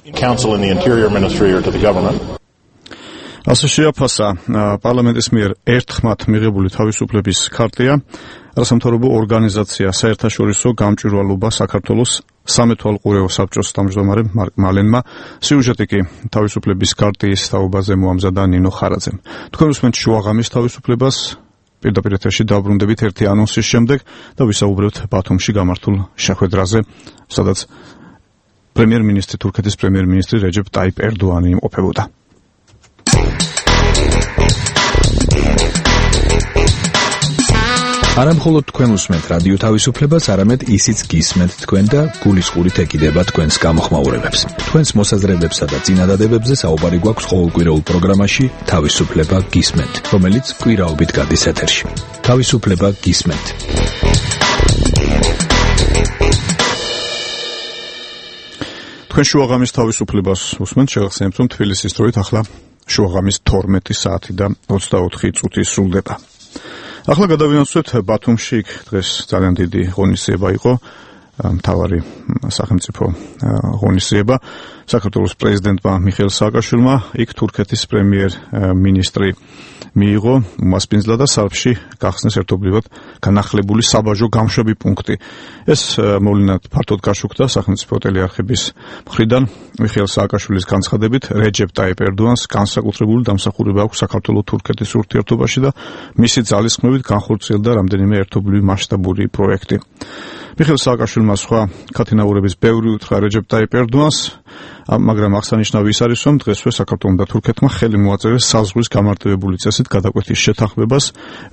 ასე შეაფასა პარლამენტის მიერ ერთხმად მიღებული თავისუფლების ქარტია არასამთავრობო ორგანიზაცია საერთაშორისო გამჭვირვალობა საქართველოს სამეთვალყურეო საბჭოს თავმჯდომარე მარკ მალენმა. სიუჟეტი კი თავისუფლების ქარტიის თაობაზე მოამზადა ნინო ხარაძემ. თქვენ უსმენთ შუაღამის თავისუფლებას, პირდაპირ ეთერში დაბრუნდებით ერთი ანონსის შემდეგ და ვისაუბრებთ ბათუმში გამართულ შეხვედრაზე, სადაც თურქეთის პრემიერ-მინისტრი რეჯეპ ტაიპ ერდოანი იმყოფებოდა. არა მხოლოდ თქვენ უსმენთ რადიო თავისუფლებას, არამედ ისიც გისმენთ თქვენ და გულისყურით ეკიდება თქვენს გამოხმაურებებს. თქვენს მოსაზრებებსა და წინადადებებზე საუბარი გვაქვს ყოველკვირეულ პროგრამაში თავისუფლება გისმენთ, რომელიც კვირაობით გადის ეთერში. თავისუფლება გისმენთ. თქვენ შუაღამის თავისუფლებას უსმენთ, შეგახსენებთ, რომ თბილისის დროით ახლა შუაღამის 12 საათი და 24 წუთი სრულდება. ახლა გადავინაცვლეთ ბათუმში, იქ დღეს ძალიან დიდი ღონისძიება იყო, მთავარი სახელმწიფო ღონისძიება საქართველოს პრეზიდენტმა მიხეილ სააკაშვილმა, იქ თურქეთის პრემიერ-მინისტრი მიიღო უმასპინძლა და სარფში გახსნეს ერთობლივად განახლებული საბაჟო გამშვები პუნქტი. ეს მოვლენა ფართოდ გაშუქდა სახელმწიფო ტელეარხების მხრიდან. მიხეილ სააკაშვილის განცხადებით, რეჯეპ ტაიპ ერდოანს განსაკუთრებული დამსახურება აქვს საქართველოს-თურქეთის ურთიერთობაში და მისი ძალისხმევით განხორციელდა რამდენიმე ერთობლივი მასშტაბური პროექტი. მიხეილ სააკაშვილმა სხვა ქათინაურების ბევრი უთხრა რეჯეპ ტაიპ ერდოანს, მაგრამ აღსანიშნავი ის არის, რომ დღესვე საქართველომ და თურქეთმა ხელი მოაწერეს საზღვრის გამარტივებული წესით გადაკვეთის შეთანხმებას,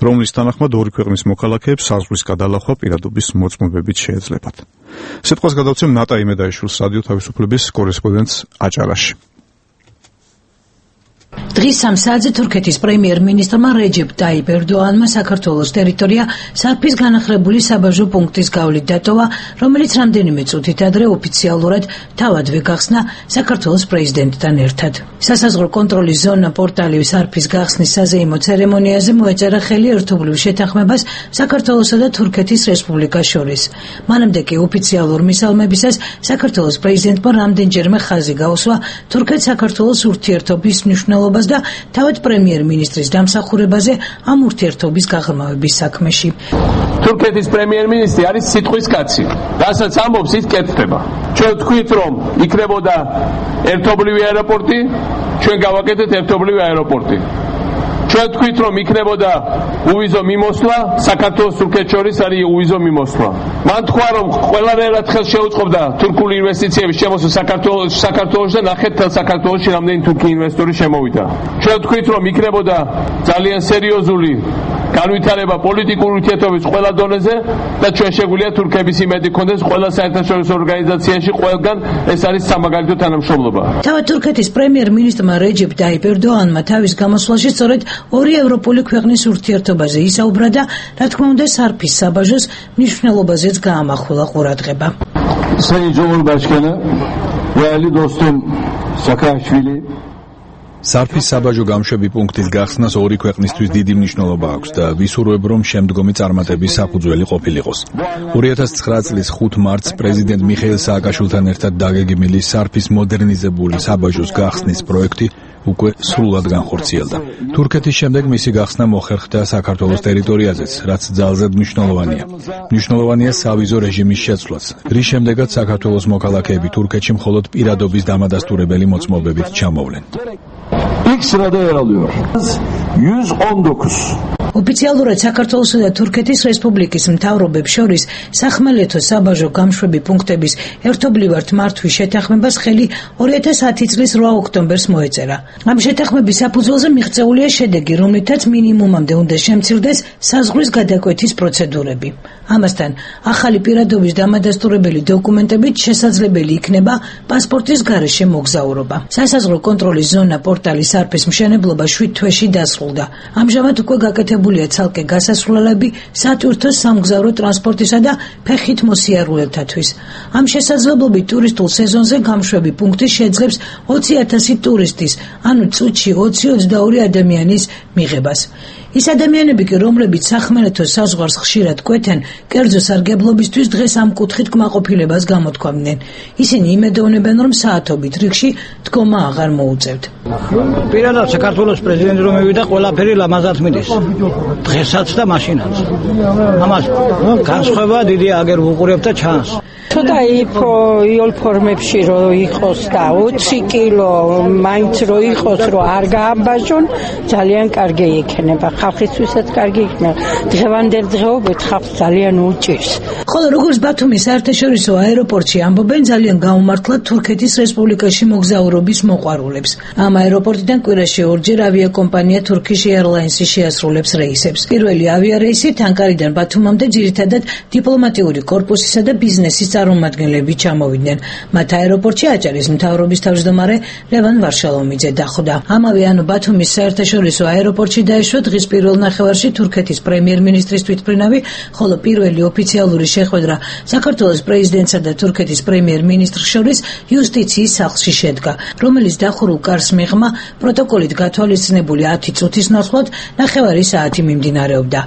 რომლის თანახმად ორი ქვეყნის მოქალაქეებს საზღვრის გადალახვა პირადობის მოწმობებით შეეძლებათ. სიტყვას გადავცემ ნატა იმედაიშვილს, რადიო თავისუფლების კორესპონდენტს აჭარაში. დღის 3 საათზე თურქეთის პრემიერ-მინისტრმა რეჯეპ ტაიპ ერდოანმა საქართველოს ტერიტორია სარფის განახლებული საბაჟო პუნქტის გავლით დატოვა, რომელიც რამდენიმე წუთით ადრე ოფიციალურად თავადვე გახსნა საქართველოს პრეზიდენტთან ერთად. სასაზღვრო კონტროლის ზონა პორტალი სარფის გახსნის საზეიმო ცერემონიაზე მოეწერა ხელი ერთობლივ შეთანხმებას საქართველოსა და თურქეთის რესპუბლიკას შორის. მანამდე კი ოფიციალურ მისალმებისას საქართველოს პრეზიდენტმა რამდენჯერმე ხაზი გაუსვა თურქეთ-საქართველოს ურთიერთობის მნიშვნელობას და თავად პრემიერ-მინისტრის დამსახურებაზე ამ ურთიერთობის გაღრმავების საქმეში. თურქეთის პრემიერ-მინისტრი არის სიტყვის კაცი. რასაც ამბობს, ის კეთდება. ჩვენ თქვით, რომ იქნებოდა ერთობლივი აეროპორტი, ჩვენ გავაკეთეთ ერთობლივი აეროპორტი. ჩვენ თქვით, რომ იქნებოდა უვიზო მიმოსვლა, საქართველოს თურქეთს შორის არის უვიზო მიმოსვლა. მან თქვა, რომ ყველანაირად ხელს შეუწყობდა თურქული ინვესტიციების შემოსვლა საქართველოში და ნახეთ თელ საქართველოში რამდენი თურქი ინვესტორი შემოვიდა. ჩვენ თქვით, რომ იქნებოდა ძალიან სერიოზული განვითარება პოლიტიკური ურთიერთობის ყველა დონეზე და ჩვენ შეგვიძლია თურქების იმედი გქონდეს ყველა საერთაშორისო ორგანიზაციაში ყველგან ეს არის სამაგალითო თანამშრომლობა. თავად თურქეთის პრემიერ-მინისტრმა რეჯეპ ტაიპ ერდოანმა თავის გამოსვლაში სწორედ ორი ევროპული ქვეყნის ურთიერთობაზე ისაუბრა და რა თქმა უნდა სარფის საბაჟოს მნიშვნელობაზეც გაამახვილა ყურადღება. Sayın Cumhurbaşkanı değerli dostum Saakashvili სარფის საბაჟო გამშვები პუნქტის გახსნას ორი ქვეყნისთვის დიდი მნიშვნელობა აქვს და ვისურვებ, რომ შემდგომი წარმატების საფუძველი ყოფილიყოს. 2009 წლის 5 მარტს პრეზიდენტ მიხეილ სააკაშვილთან ერთად დაგეგმილი სარფის მოდერნიზებული საბაჟოს გახსნის პროექტი უკვე სრულად განხორციელდა. თურქეთის შემდეგ მისი გახსნა მოხერხდა საქართველოს ტერიტორიაზეც, რაც ძალზედ მნიშვნელოვანია. მნიშვნელოვანია სავიზო რეჟიმის შეცვლაც, რის შემდეგაც საქართველოს მოქალაქეები თურქეთში მხოლოდ პირადობის დამადასტურებელი მოწმობებით ჩამოვლენ. İlk sırada yer alıyor. 119. ოფიციალურად საქართველოსა და თურქეთის რესპუბლიკის მთავრობებს შორის სახმელეთო საბაჟო გამშვები პუნქტების ერთობლივად მართვის შეთანხმებას ხელი 2010 წლის 8 ოქტომბერს მოეწერა. ამ შეთანხმების საფუძველზე მიღწეულია შედეგი, რომლითაც მინიმუმამდე უნდა შემცირდეს საზღვრის გადაკვეთის პროცედურები. ამასთან, ახალი პირადობის დამადასტურებელი დოკუმენტებით შესაძლებელი იქნება პასპორტის გარეშე მოგზაურობა. სასაზღვრო კონტროლის ზონა პორტალი სარფის მშენებლობა 7 თვეში დასრულდა. ამჟამად უკვე გაკეთებულია ცალკე გასასვლელები სატვირთო სამგზავრო ტრანსპორტისა და ფეხით მოსიარულეთათვის. ამ შესაძლებლობით ტურისტულ სეზონზე გამშვები პუნქტი შეძლებს 20,000 ტურისტის, ანუ წუთში 20-22 ადამიანის მიღებას. ის ადამიანები კი, რომლებიც სახმელეთო საზღვარს ხშირად კვეთენ, კერძო სარგებლობისთვის დღეს ამ კუთხით კმაყოფილებას გამოთქვამდნენ. ისინი იმედოვნებენ, რომ საათობით რიგში დგომა აღარ მოუწევთ. პირადად საქართველოს პრეზიდენტი რომ მივიდა, ყველაფერი ლამაზად მიდის. დღესაც და მაშინაც. ამას განსხვავება დიდი აგერ ვუყურებ და ჩანს. ცოტა იოლ ფორმებში რო იყოს და 20 კილო მაინც რო იყოს, რო არ გაამბაჟონ, ძალიან კარგი იქნება. ხალხისთვისაც კარგი იქნება. დღევანდელ დღეობით ხალხს ძალიან უჭირს. ხოლო როგორც ბათუმის საერთაშორისო აეროპორტში ამბობენ, ძალიან გაუმართლად თურქეთის რესპუბლიკაში მოგზაურობის მოყვარულებს. ამ აეროპორტიდან კვირაში ორჯერ ავიაკომპანია Turkish Airlines შეასრულებს რეისებს. პირველი ავიარეისი ანკარიდან ბათუმამდე ძირითადად დიპლომატიური კორპუსისა და ბიზნესის წარმომადგენლები ჩამოვიდნენ. მათ აეროპორტში აჭარის მთავრობის თავმჯდომარე ლევან ვარშალომიძე დახვდა. ამავე ანუ ბათუმის საერთაშორისო აეროპორტში დაეშვა დღის პირველ ნახევარში თურქეთის პრემიერ-მინისტრის თვითმფრინავი, ხოლო პირველი ოფიციალური შეხვედრა საქართველოს პრეზიდენტსა და თურქეთის პრემიერ-მინისტრს შორის იუსტიციის სახლში შედგა, რომელიც დახურულ კარს მიღმა პროტოკოლით გათვალისწინებული 10 წუთის ნაცვლად ნახევარი საათი მიმდინარეობდა.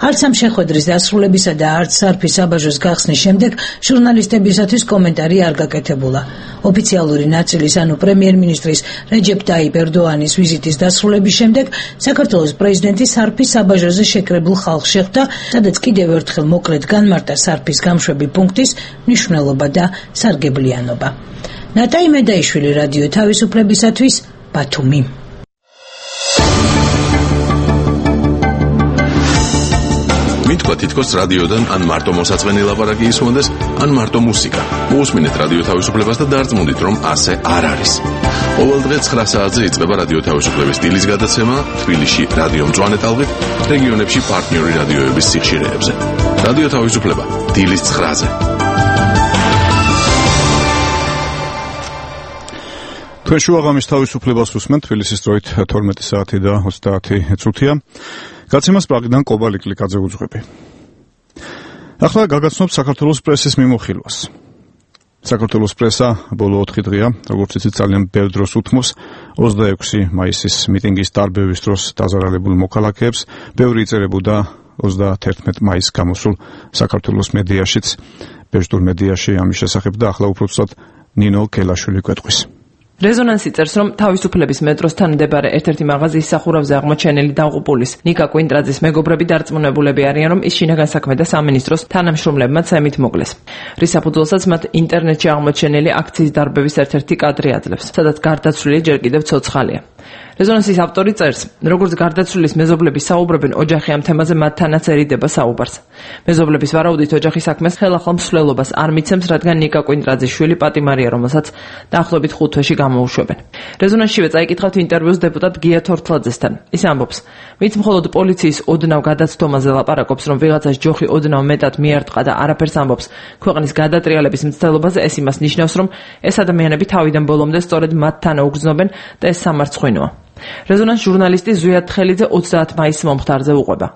არც ამ შეხვედრის დასრულებისა და არც სარფის საბაჟოს გახსნის შემდეგ ჟურნალისტებისათვის კომენტარი არ გაკეთებულა. ოფიციალური ნაწილის, ანუ პრემიერ-მინისტრის რეჯეპ ტაიპ ერდოანის ვიზიტის დასრულების შემდეგ საქართველოს პრეზიდენტი სარფის საბაჟოზე შეკრებულ ხალხს შეხვდა, სადაც კიდევ ერთხელ მოკლედ განმარტა სარფის გამშვები პუნქტის მნიშვნელობა და სარგებლიანობა. ნატა იმედაიშვილი, რადიო თავისუფლებისათვის, ბათუმი. მითქვა თითქოს რადიოდან ან მარტო მოსაწყენი ლაპარაკი ისმოდეს, ან მარტო მუსიკა. მოусმინეთ რადიო თავისუფლებას და დარწმუნდით, რომ ასე არ არის. ყოველდღე 9 საათზე იწყება რადიო თავისუფლების სტილის გადაცემა თბილისში რადიო მწვანე ტალღით, რეგიონებში პარტნიორი რადიოების სიხშირეებზე. რადიო თავისუფლება დილის 9-ზე. თქვენ შუაღამის თავისუფლებას უსმენთ, თბილისის დროით 12 საათი და 30 წუთია. გაცემას პრაღიდან კობალ იკლიკაძე უძღვები. ახლა გაგაცნობთ საქართველოს პრესის მიმოხილვას. საქართველოს პრესა ბოლო 4 დღეა, როგორც იცით, ძალიან ბევრ დროს უთმობს 26 მაისის მიტინგის დარბევის დროს დაზარალებულ მოქალაქეებს. ბევრი იწერებოდა 31 მაისს გამოსულ საქართველოს მედიაშიც, ბერძნულ მედიაში ამის შესახებ და ახლა უფრო ცუდად ნინო კელაშვილი გვეტყვის. რეზონანსი წერს, რომ თავისუფლების მეტროსთან მდებარე ერთ-ერთი მაღაზიის სახურავზე აღმოჩენილი დაღუპულის ნიკა კვინტრაძის მეგობრები დარწმუნებულები არიან, რომ ის შინაგან საქმე და სამინისტროს თანამშრომლებმა ცემით მოკლეს. რის საფუძველსაც მათ ინტერნეტში აღმოჩენილი აქციის დარბევის ერთ-ერთი კადრი აძლევს, სადაც გარდაცვლილი ჯერ კიდევ ცოცხალია. რეზონანსის ავტორი წერს, როგორც გარდაცვლილის მეზობლები საუბრობენ, ოჯახი ამ თემაზე მათთანაცერიდება საუბარს. მეზობლების ვარაუდით, ოჯახის საქმეს ხელახლა მსვლელობას არ მიცემს, რადგან ნიკა კვინტრაძის შვილი პატიმარია, რომელსაც დაახლოებით 5 თვეში გამოუშვებენ. რეზონანსშივე წაიკითხავთ ინტერვიუს დეპუტატ გია თორთლაძესთან. ის ამბობს, ვინც მხოლოდ პოლიციის ოდნავ გადაცდომაზე ლაპარაკობს, რომ ვიღაცას ჯოხი ოდნავ მეტად მიარტყა და არაფერს ამბობს ქვეყნის გადატრიალების მცდელობაზე, ეს იმას ნიშნავს, რომ ეს ადამიანები თავიდან ბოლომდე სწორედ მათთან უგრძნობენ და ეს სამარცხვინოა. რეზონანს ჟურნალისტი ზვიად თხელიძე 30 მაისს მომხდარზე უყვება.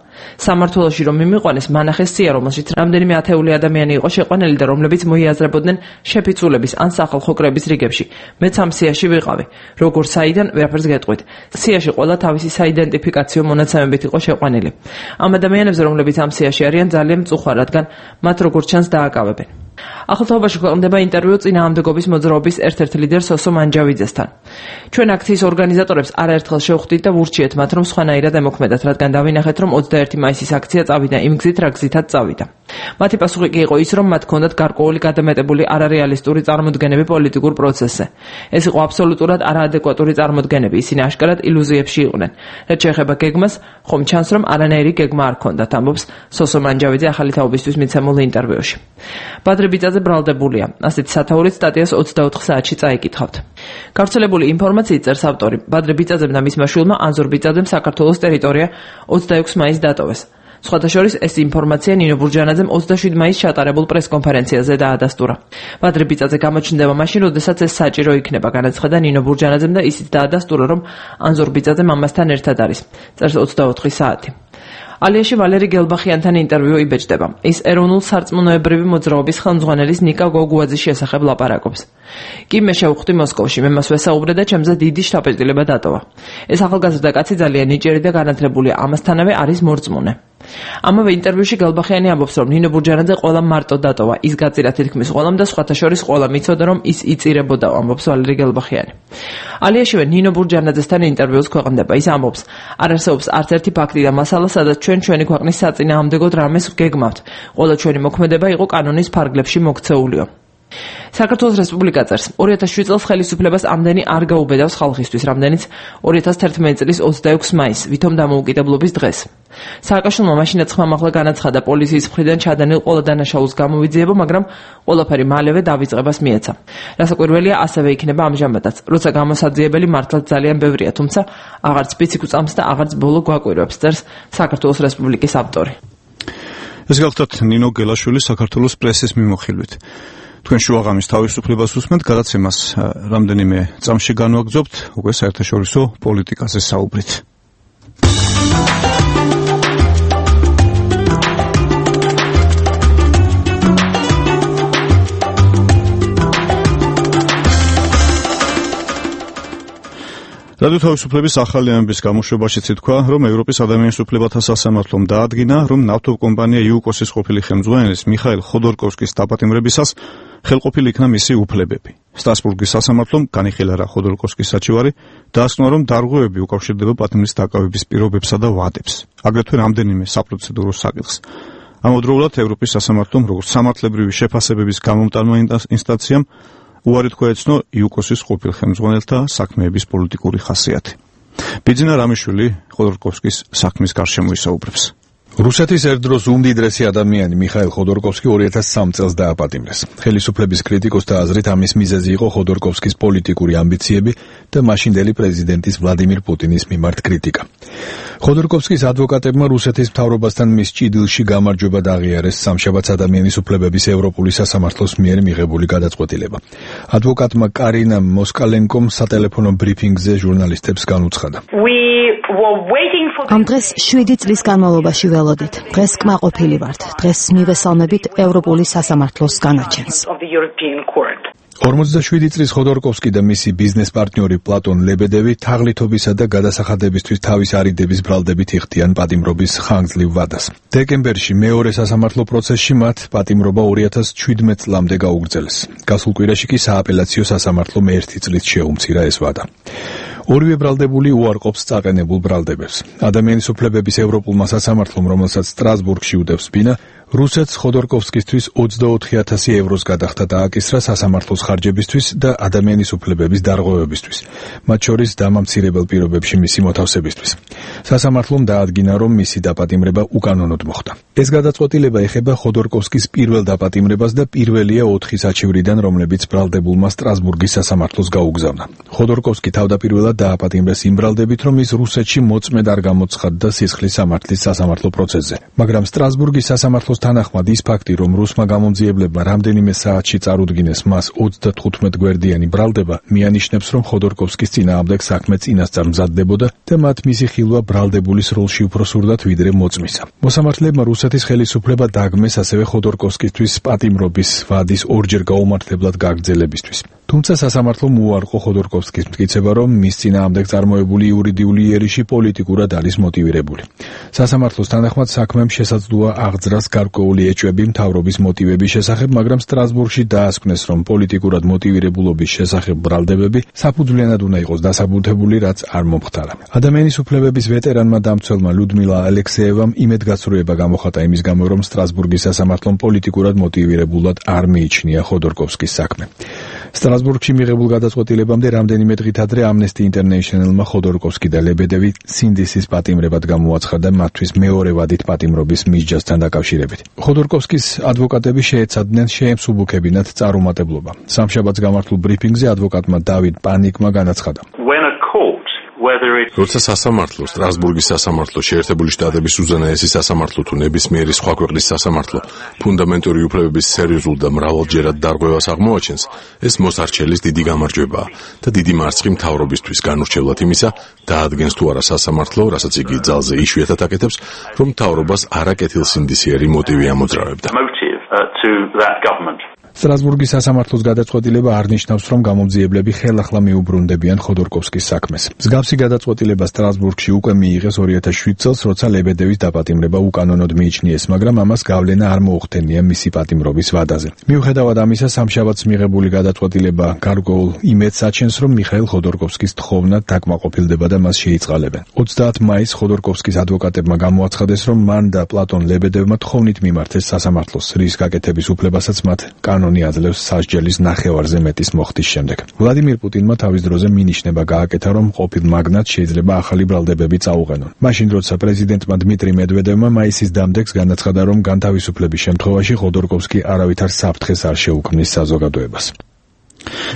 სამმართველოში რომ მიმიყვანეს, მანახეს სია, რომელშიც რამდენიმე ათეული ადამიანი იყო შეყვანილი და რომლებიც მოიაზრებოდნენ შეფიცულების ან სახალხო კრების რიგებში. მეც ამ სიაში ვიყავი. როგორ საიდან ვერაფერს გეტყვით. სიაში ყველა თავისი საიდენტიფიკაციო მონაცემებით იყო შეყვანილი. ამ ადამიანებზე, რომლებიც ამ სიაში არიან, ძალიან მწუხვა, რადგან მათ როგორც ჩანს დააკავებენ. ახალთაობაში ქვეყნდება ინტერვიუ წინააღმდეგობის მოძრაობის ერთ-ერთ ლიდერ სოსო მანჯავიძესთან. ჩვენ აქციის ორგანიზატორებს არაერთხელ შევხვდით და ვურჩიეთ მათ, რომ სხვანაირად ემოქმედათ, რადგან დავინახეთ, რომ 21 მაისის აქცია წავიდა იმ გზით, რა გზითაც წავიდა. მათი პასუხი კი იყო ის, რომ მათ ჰქონდათ გარკვეული გადამეტებული არარეალისტური წარმოდგენები პოლიტიკურ პროცესზე. ეს იყო აბსოლუტურად არაადეკვატური წარმოდგენები, ისინი აშკარად ილუზიებში იყვნენ. რაც შეეხება გეგმას, ხომ ჩანს, რომ არანაირი გეგმა არ ჰქონდათ, ამბობს სოსო მანჯავიძე ახალი თაობისთვის მიცემულ ინტერვიუში. ბადრე ბიწაძე ბრალდებულია. ასეთი სათაურით სტატიას 24 საათში წაიკითხავთ. გავრცელებული ინფორმაციით წერს ავტორი, ბადრე ბიწაძემ და მისმა შვილმა ანზორ ბიწაძემ საქართველოს ტერიტორია 26 მაისს დატოვეს. სხვათა შორის ეს ინფორმაცია ნინო ბურჯანაძემ 27 მაისს ჩატარებულ პრესკონფერენციაზე დაადასტურა. ბადრე ბიწაძე გამოჩნდება მაშინ, როდესაც ეს საჭირო იქნება, განაცხადა ნინო ბურჯანაძემ და ისიც დაადასტურა, რომ ანზორ ბიწაძე მამასთან ერთად არის. წერს 24 საათი. ალიაში ვალერი გელბახიანთან ინტერვიუ იბეჭდება. ის ეროვნულ სარწმუნოებრივი მოძრაობის ხელმძღვანელის ნიკა გოგუაძის შესახებ ლაპარაკობს. კი მე შევხვდი მოსკოვში, მე მას ვესაუბრე და ჩემზე დიდი შთაბეჭდილება დატოვა. ეს ახალგაზრდა კაცი ძალიან ნიჭიერი და განათლებულია, ამასთანავე არის მორწმუნე. ამავე ინტერვიუში გელბახიანი ამბობს, რომ ნინო ბურჯანაძე ყველამ მარტო დატოვა, ის გაწირა თითქმის ყველამ და სხვათა შორის ყველამ იცოდა, რომ ის იწირებოდა, ამბობს ვალერი გელბახიანი. ალიაშივე ნინო ბურჯანაძესთან ინტერვიუს ქვეყნდება. ის ამბობს, არ არსებობს არც ერთი ფაქტი და მასალა, სადაც ჩვენი ქვეყნის საწინააღმდეგოდ რამეს ვგეგმავთ. ყველა ჩვენი მოქმედება იყო კანონის ფარგლებში მოქცეულიო. საქართველოს რესპუბლიკა წერს, 2007 წელს ხელისუფლებას ამდენი არ გაუბედავს ხალხისთვის, რამდენიც 2011 წლის 26 მაისს, ვითომ დამოუკიდებლობის დღეს. სააკაშვილმა მაშინაც ხმამაღლა განაცხადა პოლიციის მხრიდან ჩადენილ ყველა დანაშაულს გამოვიძიებო, მაგრამ ყველაფერი მალევე დავიწყებას მიეცა. რასაკვირველია, ასევე იქნება ამჟამადაც, როცა გამოსაძიებელი მართლაც ძალიან ბევრია, თუმცა აღარც პიცი გვწამს და აღარც ბოლო გვაკვირვებს, წერს საქართველოს რესპუბლიკის ავტორი. ეს გახლავთ ნინო გელაშვილი საქართველოს პრესის მიმოხილვით. თქვენ შუაღამის თავისუფლებას უსმენთ, გადაცემას რამდენიმე წამში განვაგრძობთ, უკვე საერთაშორისო პოლიტიკაზე საუბრით. რადიო თავისუფლების ახალი ამბის გამოშვებაშიც ითქვა, რომ ევროპის ადამიანის უფლებათა სასამართლომ დაადგინა, რომ ნავთობკომპანია იუკოსის ყოფილი ხელმძღვანელის მიხაილ ხოდორკოვსკის დაპატიმრებისას ხელყოფილი იქნა მისი უფლებები. სტრასბურგის სასამართლომ განიხილა რა ხოდორკოვსკის საჩივარი, დაასკვნო, რომ დარღვევები უკავშირდება პატიმრის დაკავების პირობებსა და ვადებს. აგრეთვე რამდენიმე საპროცედურო საკითხს. ამავდროულად ევროპის სასამართლომ, როგორც სამართლებრივი შეფასებების გამომტანმა ინსტანციამ, უარი თქვა ეცნო იუკოსის ყოფილ ხელმძღვანელთა საქმეების პოლიტიკური ხასიათი. ბიძინა რამიშვილი ხოდორკოვსკის საქმის გარშემო ისაუბრებს. რუსეთის ერთდროს უმდიდრესი ადამიანი მიხაილ ხოდორკოვსკი 2003 წელს დააპატიმრეს. ხელისუფლების კრიტიკოსთა აზრით ამის მიზეზი იყო ხოდორკოვსკის პოლიტიკური ამბიციები და მაშინდელი პრეზიდენტის ვლადიმირ პუტინის მიმართ კრიტიკა. ხოდორკოვსკის ადვოკატებმა რუსეთის მთავრობასთან მის ჭიდილში გამარჯვება აღიარეს სამშაბათს ადამიანის უფლებების ევროპული სასამართლოს მიერ მიღებული გადაწყვეტილება. ადვოკატმა კარინა მოსკალენკომ სატელეფონო ბრიფინგზე ჟურნალისტებს განუცხადა. ამ დღეს 7 წლის განმავლობაში ველოდით. დღეს კმაყოფილი ვართ. დღეს მივესალმებით ევროპული სასამართლოს განაჩენს. 47 წლის ხოდორკოვსკი და მისი ბიზნეს პარტნიორი პლატონ ლებედევი თაღლითობისა და გადასახადებისთვის თავის არიდების ბრალდებით იხდიან პატიმრობის ხანგრძლივ ვადას. დეკემბერში მეორე სასამართლო პროცესში მათ პატიმრობა 2017 წლამდე გაუგრძელეს. გასულ კვირაში კი სააპელაციო სასამართლომ 1 წლით შეუმცირა ეს ვადა. ორივე ბრალდებული უარყოფს წაყენებულ ბრალდებებს. ადამიანის უფლებების ევროპულმა სასამართლომ, რომელსაც სტრასბურგში უდევს ბინა, რუსეთს ხოდორკოვსკისთვის 24,000 ევროს გადახდა დააკისრა სასამართლოს ხარჯებისთვის და ადამიანის უფლებების დარღვევებისთვის, მათ შორის დამამცირებელ პირობებში მისი მოთავსებისთვის. სასამართლომ დაადგინა, რომ მისი დაპატიმრება უკანონოდ მოხდა. ეს გადაწყვეტილება ეხება ხოდორკოვსკის პირველ დაპატიმრებას და პირველია 4 საჩივრიდან, რომლებიც ბრალდებულმა სტრასბურგის სასამართლოს გაუგზავნა. ხოდორკოვსკი თავდაპირველად დააპატიმრეს იმ ბრალდებით, რომ ის რუსეთში მოწმედ არ გამოცხადდა სისხლის სამართლის სასამართლო პროცესზე, მაგრამ სტრასბურგის სასამართლოს თანახმად ის ფაქტი, რომ რუსმა გამომძიებლებმა რამდენიმე საათში წარუდგინეს მას 35 გვერდიანი ბრალდება, მიანიშნებს, რომ ხოდორკოვსკის წინააღმდეგ საქმე წინასწარ მზადდებოდა და მათ მისი ხილვა ბრალდებულის როლში უფრო სურდათ ვიდრე მოწმისა. მოსამართლეებმა რუსეთის ხელისუფლება დაგმეს ასევე ხოდორკოვსკისთვის პატიმრობის ვადის ორჯერ გაუმართლებლად გაგრძელებისთვის. თუმცა სასამართლომ უარყო ხოდორკოვსკის მტკიცება, რომ მის წინააღმდეგ წარმოებული იურიდიული იერიში პოლიტიკურად არის მოტივირებული. სასამართლოს თანახმად საქმემ შესაძლოა აღძრას გარკვეული ეჭვები მთავრობის მოტივების შესახებ, მაგრამ სტრასბურგში დაასკვნეს, რომ პოლიტიკურად მოტივირებულობის შესახებ ბრალდებები საფუძვლიანად უნდა იყოს დასაბუთებული, რაც არ მომხდარა. ადამიანის უფლებების ვეტერანმა დამცველმა ლუდმილა ალექსეევამ იმედგაცრუება გამოხატა იმის გამო, რომ სტრასბურგის სასამართლომ პოლიტიკურად მოტივირებულად არ მიიჩნია ხოდორკოვსკის საქმე. სტრასბურგში მიღებულ გადაწყვეტილებამდე რამდენიმე დღით ადრე Amnesty International-მა ხოდორკოვსკი და ლებედევი სინდისის პატიმრებად გამოაცხადა მათთვის მეორე ვადით პატიმრობის მისჯასთან დაკავშირებით. ხოდორკოვსკის ადვოკატები შეეცადნენ შეემსუბუქებინათ წარუმატებლობა. სამშაბათს გამართულ ბრიფინგზე ადვოკატმა დავიდ პანიკმა განაცხადა. როცა სასამართლო, სტრასბურგის სასამართლო, შეერთებული შტატების უზენაესი სასამართლო თუ ნებისმიერი სხვა ქვეყნის სასამართლო ფუნდამენტური უფლებების სერიოზულ და მრავალჯერად დარღვევას აღმოაჩენს, ეს მოსარჩელის დიდი გამარჯვებაა და დიდი მარცხი მთავრობისთვის განურჩევლად იმისა, დაადგენს თუ არა სასამართლო, რასაც იგი ძალზე იშვიათად აკეთებს, რომ მთავრობას არაკეთილსინდისიერი მოტივი ამოძრავებდა. სტრასბურგის სასამართლოს გადაწყვეტილება არ ნიშნავს, რომ გამომძიებლები ხელახლა მიუბრუნდებიან ხოდორკოვსკის საქმეს. მსგავსი გადაწყვეტილება სტრასბურგში უკვე მიიღეს 2007 წელს, როცა ლებედევის დაპატიმრება უკანონოდ მიიჩნიეს, მაგრამ ამას გავლენა არ მოუხდენია მისი პატიმრობის ვადაზე. მიუხედავად ამისა, სამშაბათს მიღებული გადაწყვეტილება გარკვეულ იმედს აჩენს, რომ მიხაილ ხოდორკოვსკის თხოვნა დაკმაყოფილდება და მას შეიწყალებენ. 30 მაისს ხოდორკოვსკის ადვოკატებმა გამოაცხადეს, რომ მან და პლატონ ლებედევმა თხოვნით მიმართეს სასამართლოს, რის გაკეთების უფლებასაც მათ კანონი აძლევს სასჯელის ნახევარზე მეტის მოხდის შემდეგ. ვლადიმირ პუტინმა თავის დროზე მინიშნება გააკეთა, რომ ყოფილ მაგნატს შეიძლება ახალი ბრალდებები წაუყენონ. მაშინ, როცა პრეზიდენტმა დმიტრი მედვედევმა მაისის დამდეგს განაცხადა, რომ განთავისუფლების შემთხვევაში ხოდორკოვსკი არავითარ საფრთხეს არ შეუქმნის საზოგადოებას.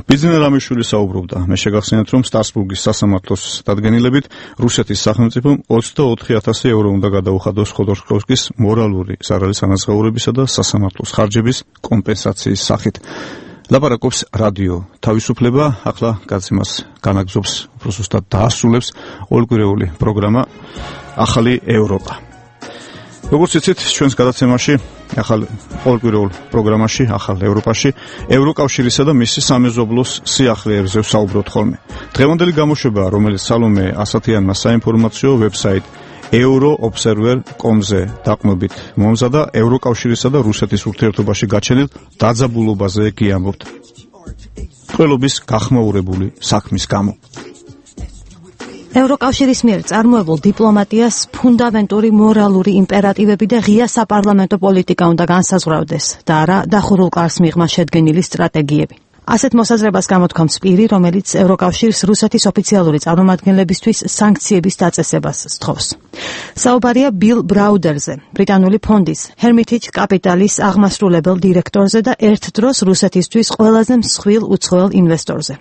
ბიზნეს რამიშვილი საუბრობდა. მე შეგახსენებთ, რომ სტრასბურგის სასამართლოს დადგენილებით რუსეთის სახელმწიფომ 24,000 евро უნდა გადაუხადოს ხოდორკოვსკის მორალური ზარალის ანაზღაურებისა და სასამართლოს ხარჯების კომპენსაციის სახით. ლაპარაკობს რადიო თავისუფლება, ახლა გაცემას განაგზობს, უფრო ზუსტად დაასრულებს ორკვირეული პროგრამა ახალი ევროპა. როგორც იცით, ჩვენს გადაცემაში ახალ ორკვირეულ პროგრამაში ახალ ევროპაში ევროკავშირისა და მისი სამეზობლოს სიახლეებზე ვსაუბრობთ ხოლმე. დღევანდელი გამოშვება, რომელიც სალომე ასათიანმა საინფორმაციო ვებსაიტ euroobserver.com-ზე დაყნობით მომზადა ევროკავშირისა და რუსეთის ურთიერთობაში გაჩენილ დაძაბულობაზე გიამბობთ. ყველობის გახმაურებული საქმის გამო. ევროკავშირის მიერ წარმოებულ დიპლომატიას ფუნდამენტური მორალური იმპერატივები და ღია საპარლამენტო პოლიტიკა უნდა განსაზღვრავდეს და არა დახურულ კარს მიღმა შედგენილი სტრატეგიები. ასეთ მოსაზრებას გამოთქვამს პირი, რომელიც ევროკავშირს რუსეთის ოფიციალური წარმომადგენლებისთვის სანქციების დაწესებას სთხოვს. საუბარია ბილ ბრაუდერზე, ბრიტანული ფონდის Hermitage Capital-ის აღმასრულებელ დირექტორზე და ერთ დროს რუსეთისთვის ყველაზე მსხვილ უცხოელ ინვესტორზე.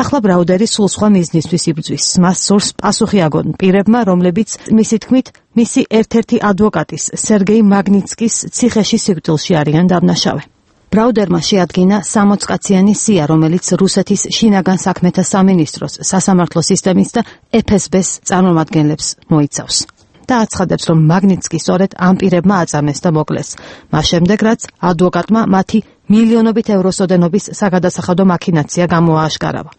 ახლა ბრაუდერი სულ სხვა მიზნისთვის იბრძვის. მას სურს პასუხი აგონ პირებმა, რომლებიც მისი თქმით მისი ერთ-ერთი ადვოკატის სერგეი მაგნიცკის ციხეში სიკვდილში არიან დამნაშავე. ბრაუდერმა შეადგინა 60 კაციანი სია, რომელიც რუსეთის შინაგან საქმეთა სამინისტროს, სასამართლო სისტემის და FSB-ს წარმომადგენლებს მოიცავს. და აცხადებს, რომ მაგნიცკი სწორედ ამ პირებმა აწამეს და მოკლეს. მას შემდეგ, რაც ადვოკატმა მათი მილიონობით ევროს ოდენობის საგადასახადო მაქინაცია გამოააშკარავა.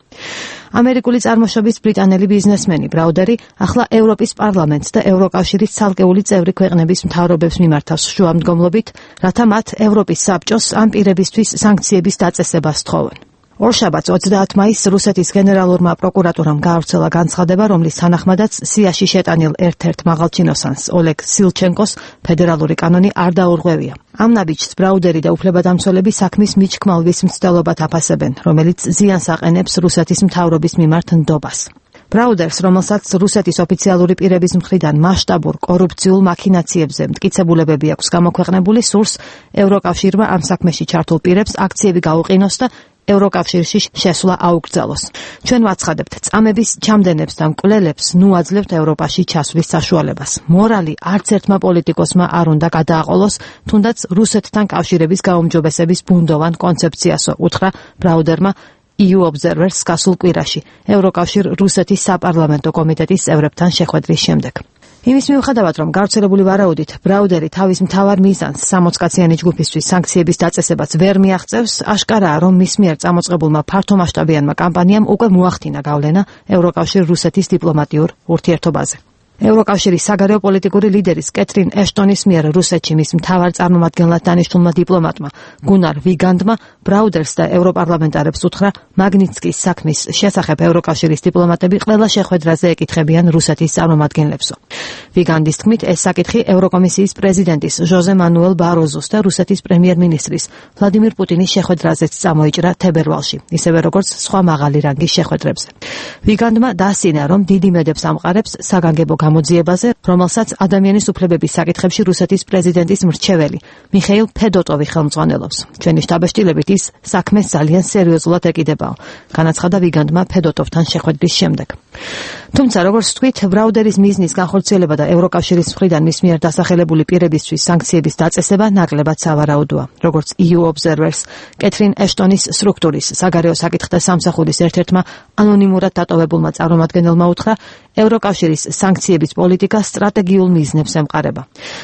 ამერიკული წარმოშობის ბრიტანელი ბიზნესმენი ბრაუდერი ახლა ევროპის პარლამენტს და ევროკავშირის ცალკეული წევრი ქვეყნების მთავრობებს მიმართავს შუამდგომლობით, რათა მათ ევროპის საბჭოს ამ პირებისთვის სანქციების დაწესებას სთხოვენ. ორშაბათს 30 მაისს რუსეთის გენერალურმა პროკურატურამ გაავრცელა განცხადება, რომლის თანახმადაც სიაში შეტანილ ერთ-ერთ მაღალჩინოსანს ოლეგ სილჩენკოს ფედერალური კანონი არ დაურღვევია. ამ ნაბიჯს ბრაუდერი და უფლებადამცველები საქმის მიჩქმალვის მცდელობად აფასებენ, რომელიც ზიანს აყენებს რუსეთის მთავრობის მიმართ ნდობას. ბრაუდერს, რომელსაც რუსეთის ოფიციალური პირების მხრიდან მასშტაბურ კორუფციულ მაქინაციებზე მტკიცებულებები აქვს გამოქვეყნებული, სურს ევროკავშირმა ამ საქმეში ჩართულ პირებს აქციები გაუყინოს და ევროკავშირში შესვლა აუკრძალოს. ჩვენ ვაცხადებთ, წამების ჩამდენებს და მკვლელებს ნუ აძლევთ ევროპაში ჩასვლის საშუალებას. მორალი არც ერთმა პოლიტიკოსმა არ უნდა გადააყოლოს, თუნდაც რუსეთთან კავშირების გაუმჯობესების ბუნდოვან კონცეფციასო, უთხრა ბრაუდერმა EU Observer-ს გასულ კვირაში, ევროკავშირ რუსეთის საპარლამენტო კომიტეტის წევრებთან შეხვედრის შემდეგ. იმის მიუხედავად, რომ გავრცელებული ვარაუდით ბრაუდერი თავის მთავარ მიზანს 60 კაციანი ჯგუფისთვის სანქციების დაწესებას ვერ მიაღწევს, აშკარაა, რომ მის მიერ წამოწყებულმა ფართომასშტაბიანმა კამპანიამ უკვე მოახდინა გავლენა ევროკავშირ რუსეთის დიპლომატიურ ურთიერთობაზე. ევროკავშირის საგარეო პოლიტიკური ლიდერის კეთრინ ეშტონის მიერ რუსეთში მის მთავარ წარმომადგენლად დანიშნულმა დიპლომატმა გუნარ ვიგანდმა ბრაუდერს და ევროპარლამენტარებს უთხრა მაგნიცკის საქმის შესახებ ევროკავშირის დიპლომატები ყველა შეხვედრაზე ეკითხებიან რუსეთის წარმომადგენლებსო. ვიგანდის თქმით, ეს საკითხი ევროკომისიის პრეზიდენტის ჟოზე მანუელ ბაროზოს და რუსეთის პრემიერ-მინისტრის ვლადიმირ პუტინის შეხვედრაზეც წამოიჭრა თებერვალში, ისევე როგორც სხვა მაღალი რანგის შეხვედრებზე. ვიგანდმა დაასწინა, რომ დიდი მედებს ამყარებს საგანგებო გამოძიებაზე, რომელსაც ადამიანის უფლებების საკითხებში რუსეთის პრეზიდენტის მრჩეველი მიხეილ ფედოტოვი ხელმძღვანელობს. ჩვენი შტაბ-შტილებით ის საქმეს ძალიან სერიოზულად ეკიდებაო, განაცხადა ვიგანდმა ფედოტოვთან შეხვედრის შემდეგ. თუმცა, როგორც თქვით, ბრაუდერის მიზნის განხორციელება და ევროკავშირის მხრიდან მის მიერ დასახელებული პირებისთვის სანქციების დაწესება ნაკლებად სავარაუდოა. როგორც EU Observer-ს კეთრინ ეშტონის სტრუქტურის საგარეო საკითხთა სამსახურის ერთ-ერთმა ანონიმურად დატოვებულმა წარმომადგენელმა უთხრა, ევროკავშირის სანქციების პოლიტიკა სტრატეგიულ მიზნებს ემყარება.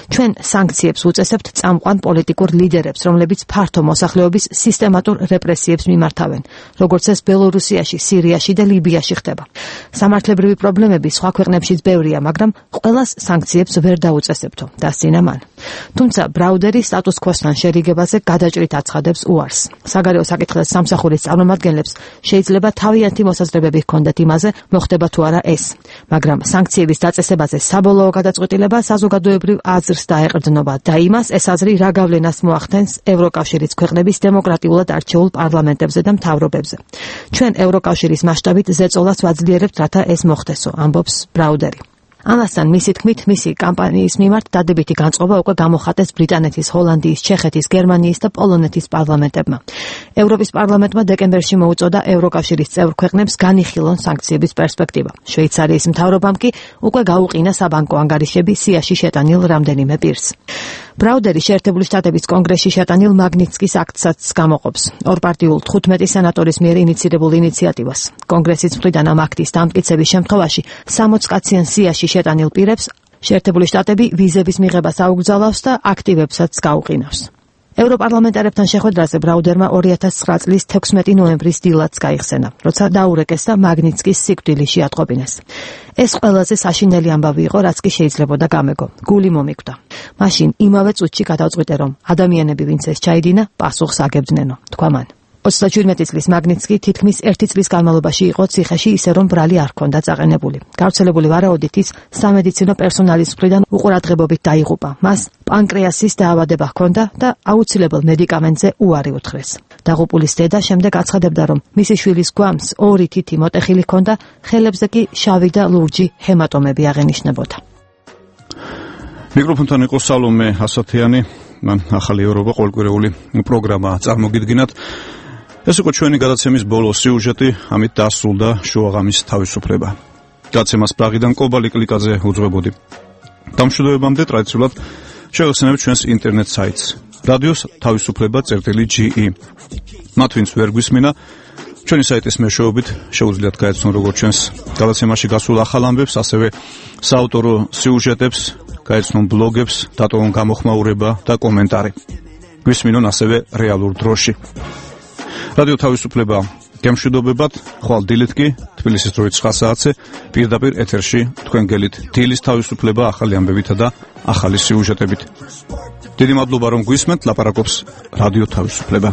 ჩვენ სანქციებს უწესებთ წამყვან პოლიტიკურ ლიდერებს, რომლებიც ფართო მოსახლეობის სისტემატურ რეპრესიებს მიმართავენ, როგორც ეს ბელორუსიაში, სირიაში და ლიბიაში ხდება. სამართლებრივი პრობლემები სხვა ქვეყნებშიც ბევრია, მაგრამ ყველას სანქციებს ვერ დაუწესებთო, დასწინა მან. თუმცა ბრაუდერი სტატუს კვოსთან შერიგებაზე გადაჭრით აცხადებს უარს. საგარეო საკითხთა სამსახურის წარმომადგენლებს შეიძლება თავიანთი მოსაზრებები ჰქონდეთ იმაზე, მოხდება თუ არა ეს. მაგრამ სანქციების დაწესებაზე საბოლოო გადაწყვეტილება საზოგადოებრივ აზრს დაეყრდნობა და იმას ეს აზრი რა გავლენას მოახდენს ევროკავშირის ქვეყნების დემოკრატიულად არჩეულ პარლამენტებზე და მთავრობებზე. ჩვენ ევროკავშირის მასშტაბით ზეწოლას ვაძლიერებთ, რათა ეს მოხდესო, ამბობს ბრაუდერი. ამასთან მისი თქმით, მისი კამპანიის მიმართ დადებითი განწყობა უკვე გამოხატეს ბრიტანეთის, ჰოლანდიის, ჩეხეთის, გერმანიის და პოლონეთის პარლამენტებმა. ევროპის პარლამენტმა დეკემბერში მოუწოდა ევროკავშირის წევრ ქვეყნებს განიხილონ სანქციების პერსპექტივა. შვეიცარიის მთავრობამ კი უკვე გაუყინა საბანკო ანგარიშები სიაში შეტანილ რამდენიმე პირს. ბრაუდერი შეერთებული შტატების კონგრესში შეტანილ მაგნიცკის აქტსაც გამოყოფს. ორპარტიულ 15 სენატორის მიერ ინიცირებულ ინიციატივას. კონგრესის მხრიდან ამ აქტის დამტკიცების შემთხვევაში 60 კაციან სიაში შეტანილ პირებს შეერთებული შტატები ვიზების მიღებას აუგზავნავს და აქტივებსაც გაუყინავს. ევროპარლამენტარებთან შეხვედრაზე ბრაუდერმა 2009 წლის 16 ნოემბრის დილაც გაიხსენა, როცა დაურეკეს და მაგნიცკის სიკვდილი შეატყობინეს. ეს ყველაზე საშინელი ამბავი იყო, რაც კი შეიძლებოდა გამეგო. გული მომიკვდა. მაშინ იმავე წუთში გადავწყვიტე, რომ ადამიანები, ვინც ეს ჩაიდინა, პასუხს აგებდნენო, თქვა მან. 37 წლის მაგნიცკი თითქმის 1 წლის განმავლობაში იყო ციხეში, ისე რომ ბრალი არ ჰქონდა წაყენებული. გავრცელებული ვარაუდით ის სამედიცინო პერსონალის მხრიდან უყურადღებობით დაიღუპა. მას პანკრეასის დაავადება ჰქონდა და აუცილებელ მედიკამენტზე უარი უთხრეს. დაღუპულის დედა შემდეგ აცხადებდა, რომ მისი შვილის გვამს 2 თითი მოტეხილი ჰქონდა, ხელებზე კი შავი და ლურჯი ჰემატომები აღენიშნებოდა. მიკროფონთან იყო სალომე ასათიანი, მან ახალი ევროპა ყოველკვირეული პროგრამა წარმოგიდგინათ. ეს იყო ჩვენი გადაცემის ბოლო სიუჟეტი, ამით დასრულდა შუაღამის თავისუფლება. გადაცემას პრაღიდან კობალი კლიკაძე უძღვებოდი. დამშვიდობებამდე ტრადიციულად შევეხსენებთ ჩვენს ინტერნეტ საიტს რადიოს თავისუფლება.ge. მათ ვინც ვერ გვისმინა, ჩვენი საიტის მეშვეობით შეუძლიათ გაეცნონ როგორც ჩვენს გადაცემაში გასულ ახალ ამბებს, ასევე საავტორო სიუჟეტებს, გაეცნონ ბლოგებს, დატოვონ გამოხმაურება და კომენტარი. გვისმინონ ასევე რეალურ დროში. რადიო თავისუფლება გემშვიდობებად, ხვალ დილით კი თბილისის დროით 9 საათზე პირდაპირ ეთერში თქვენ გელით დილის თავისუფლება ახალი ამბებითა და ახალი სიუჟეტებით. დიდი მადლობა რომ გვისმენთ, ლაპარაკობს რადიო თავისუფლება.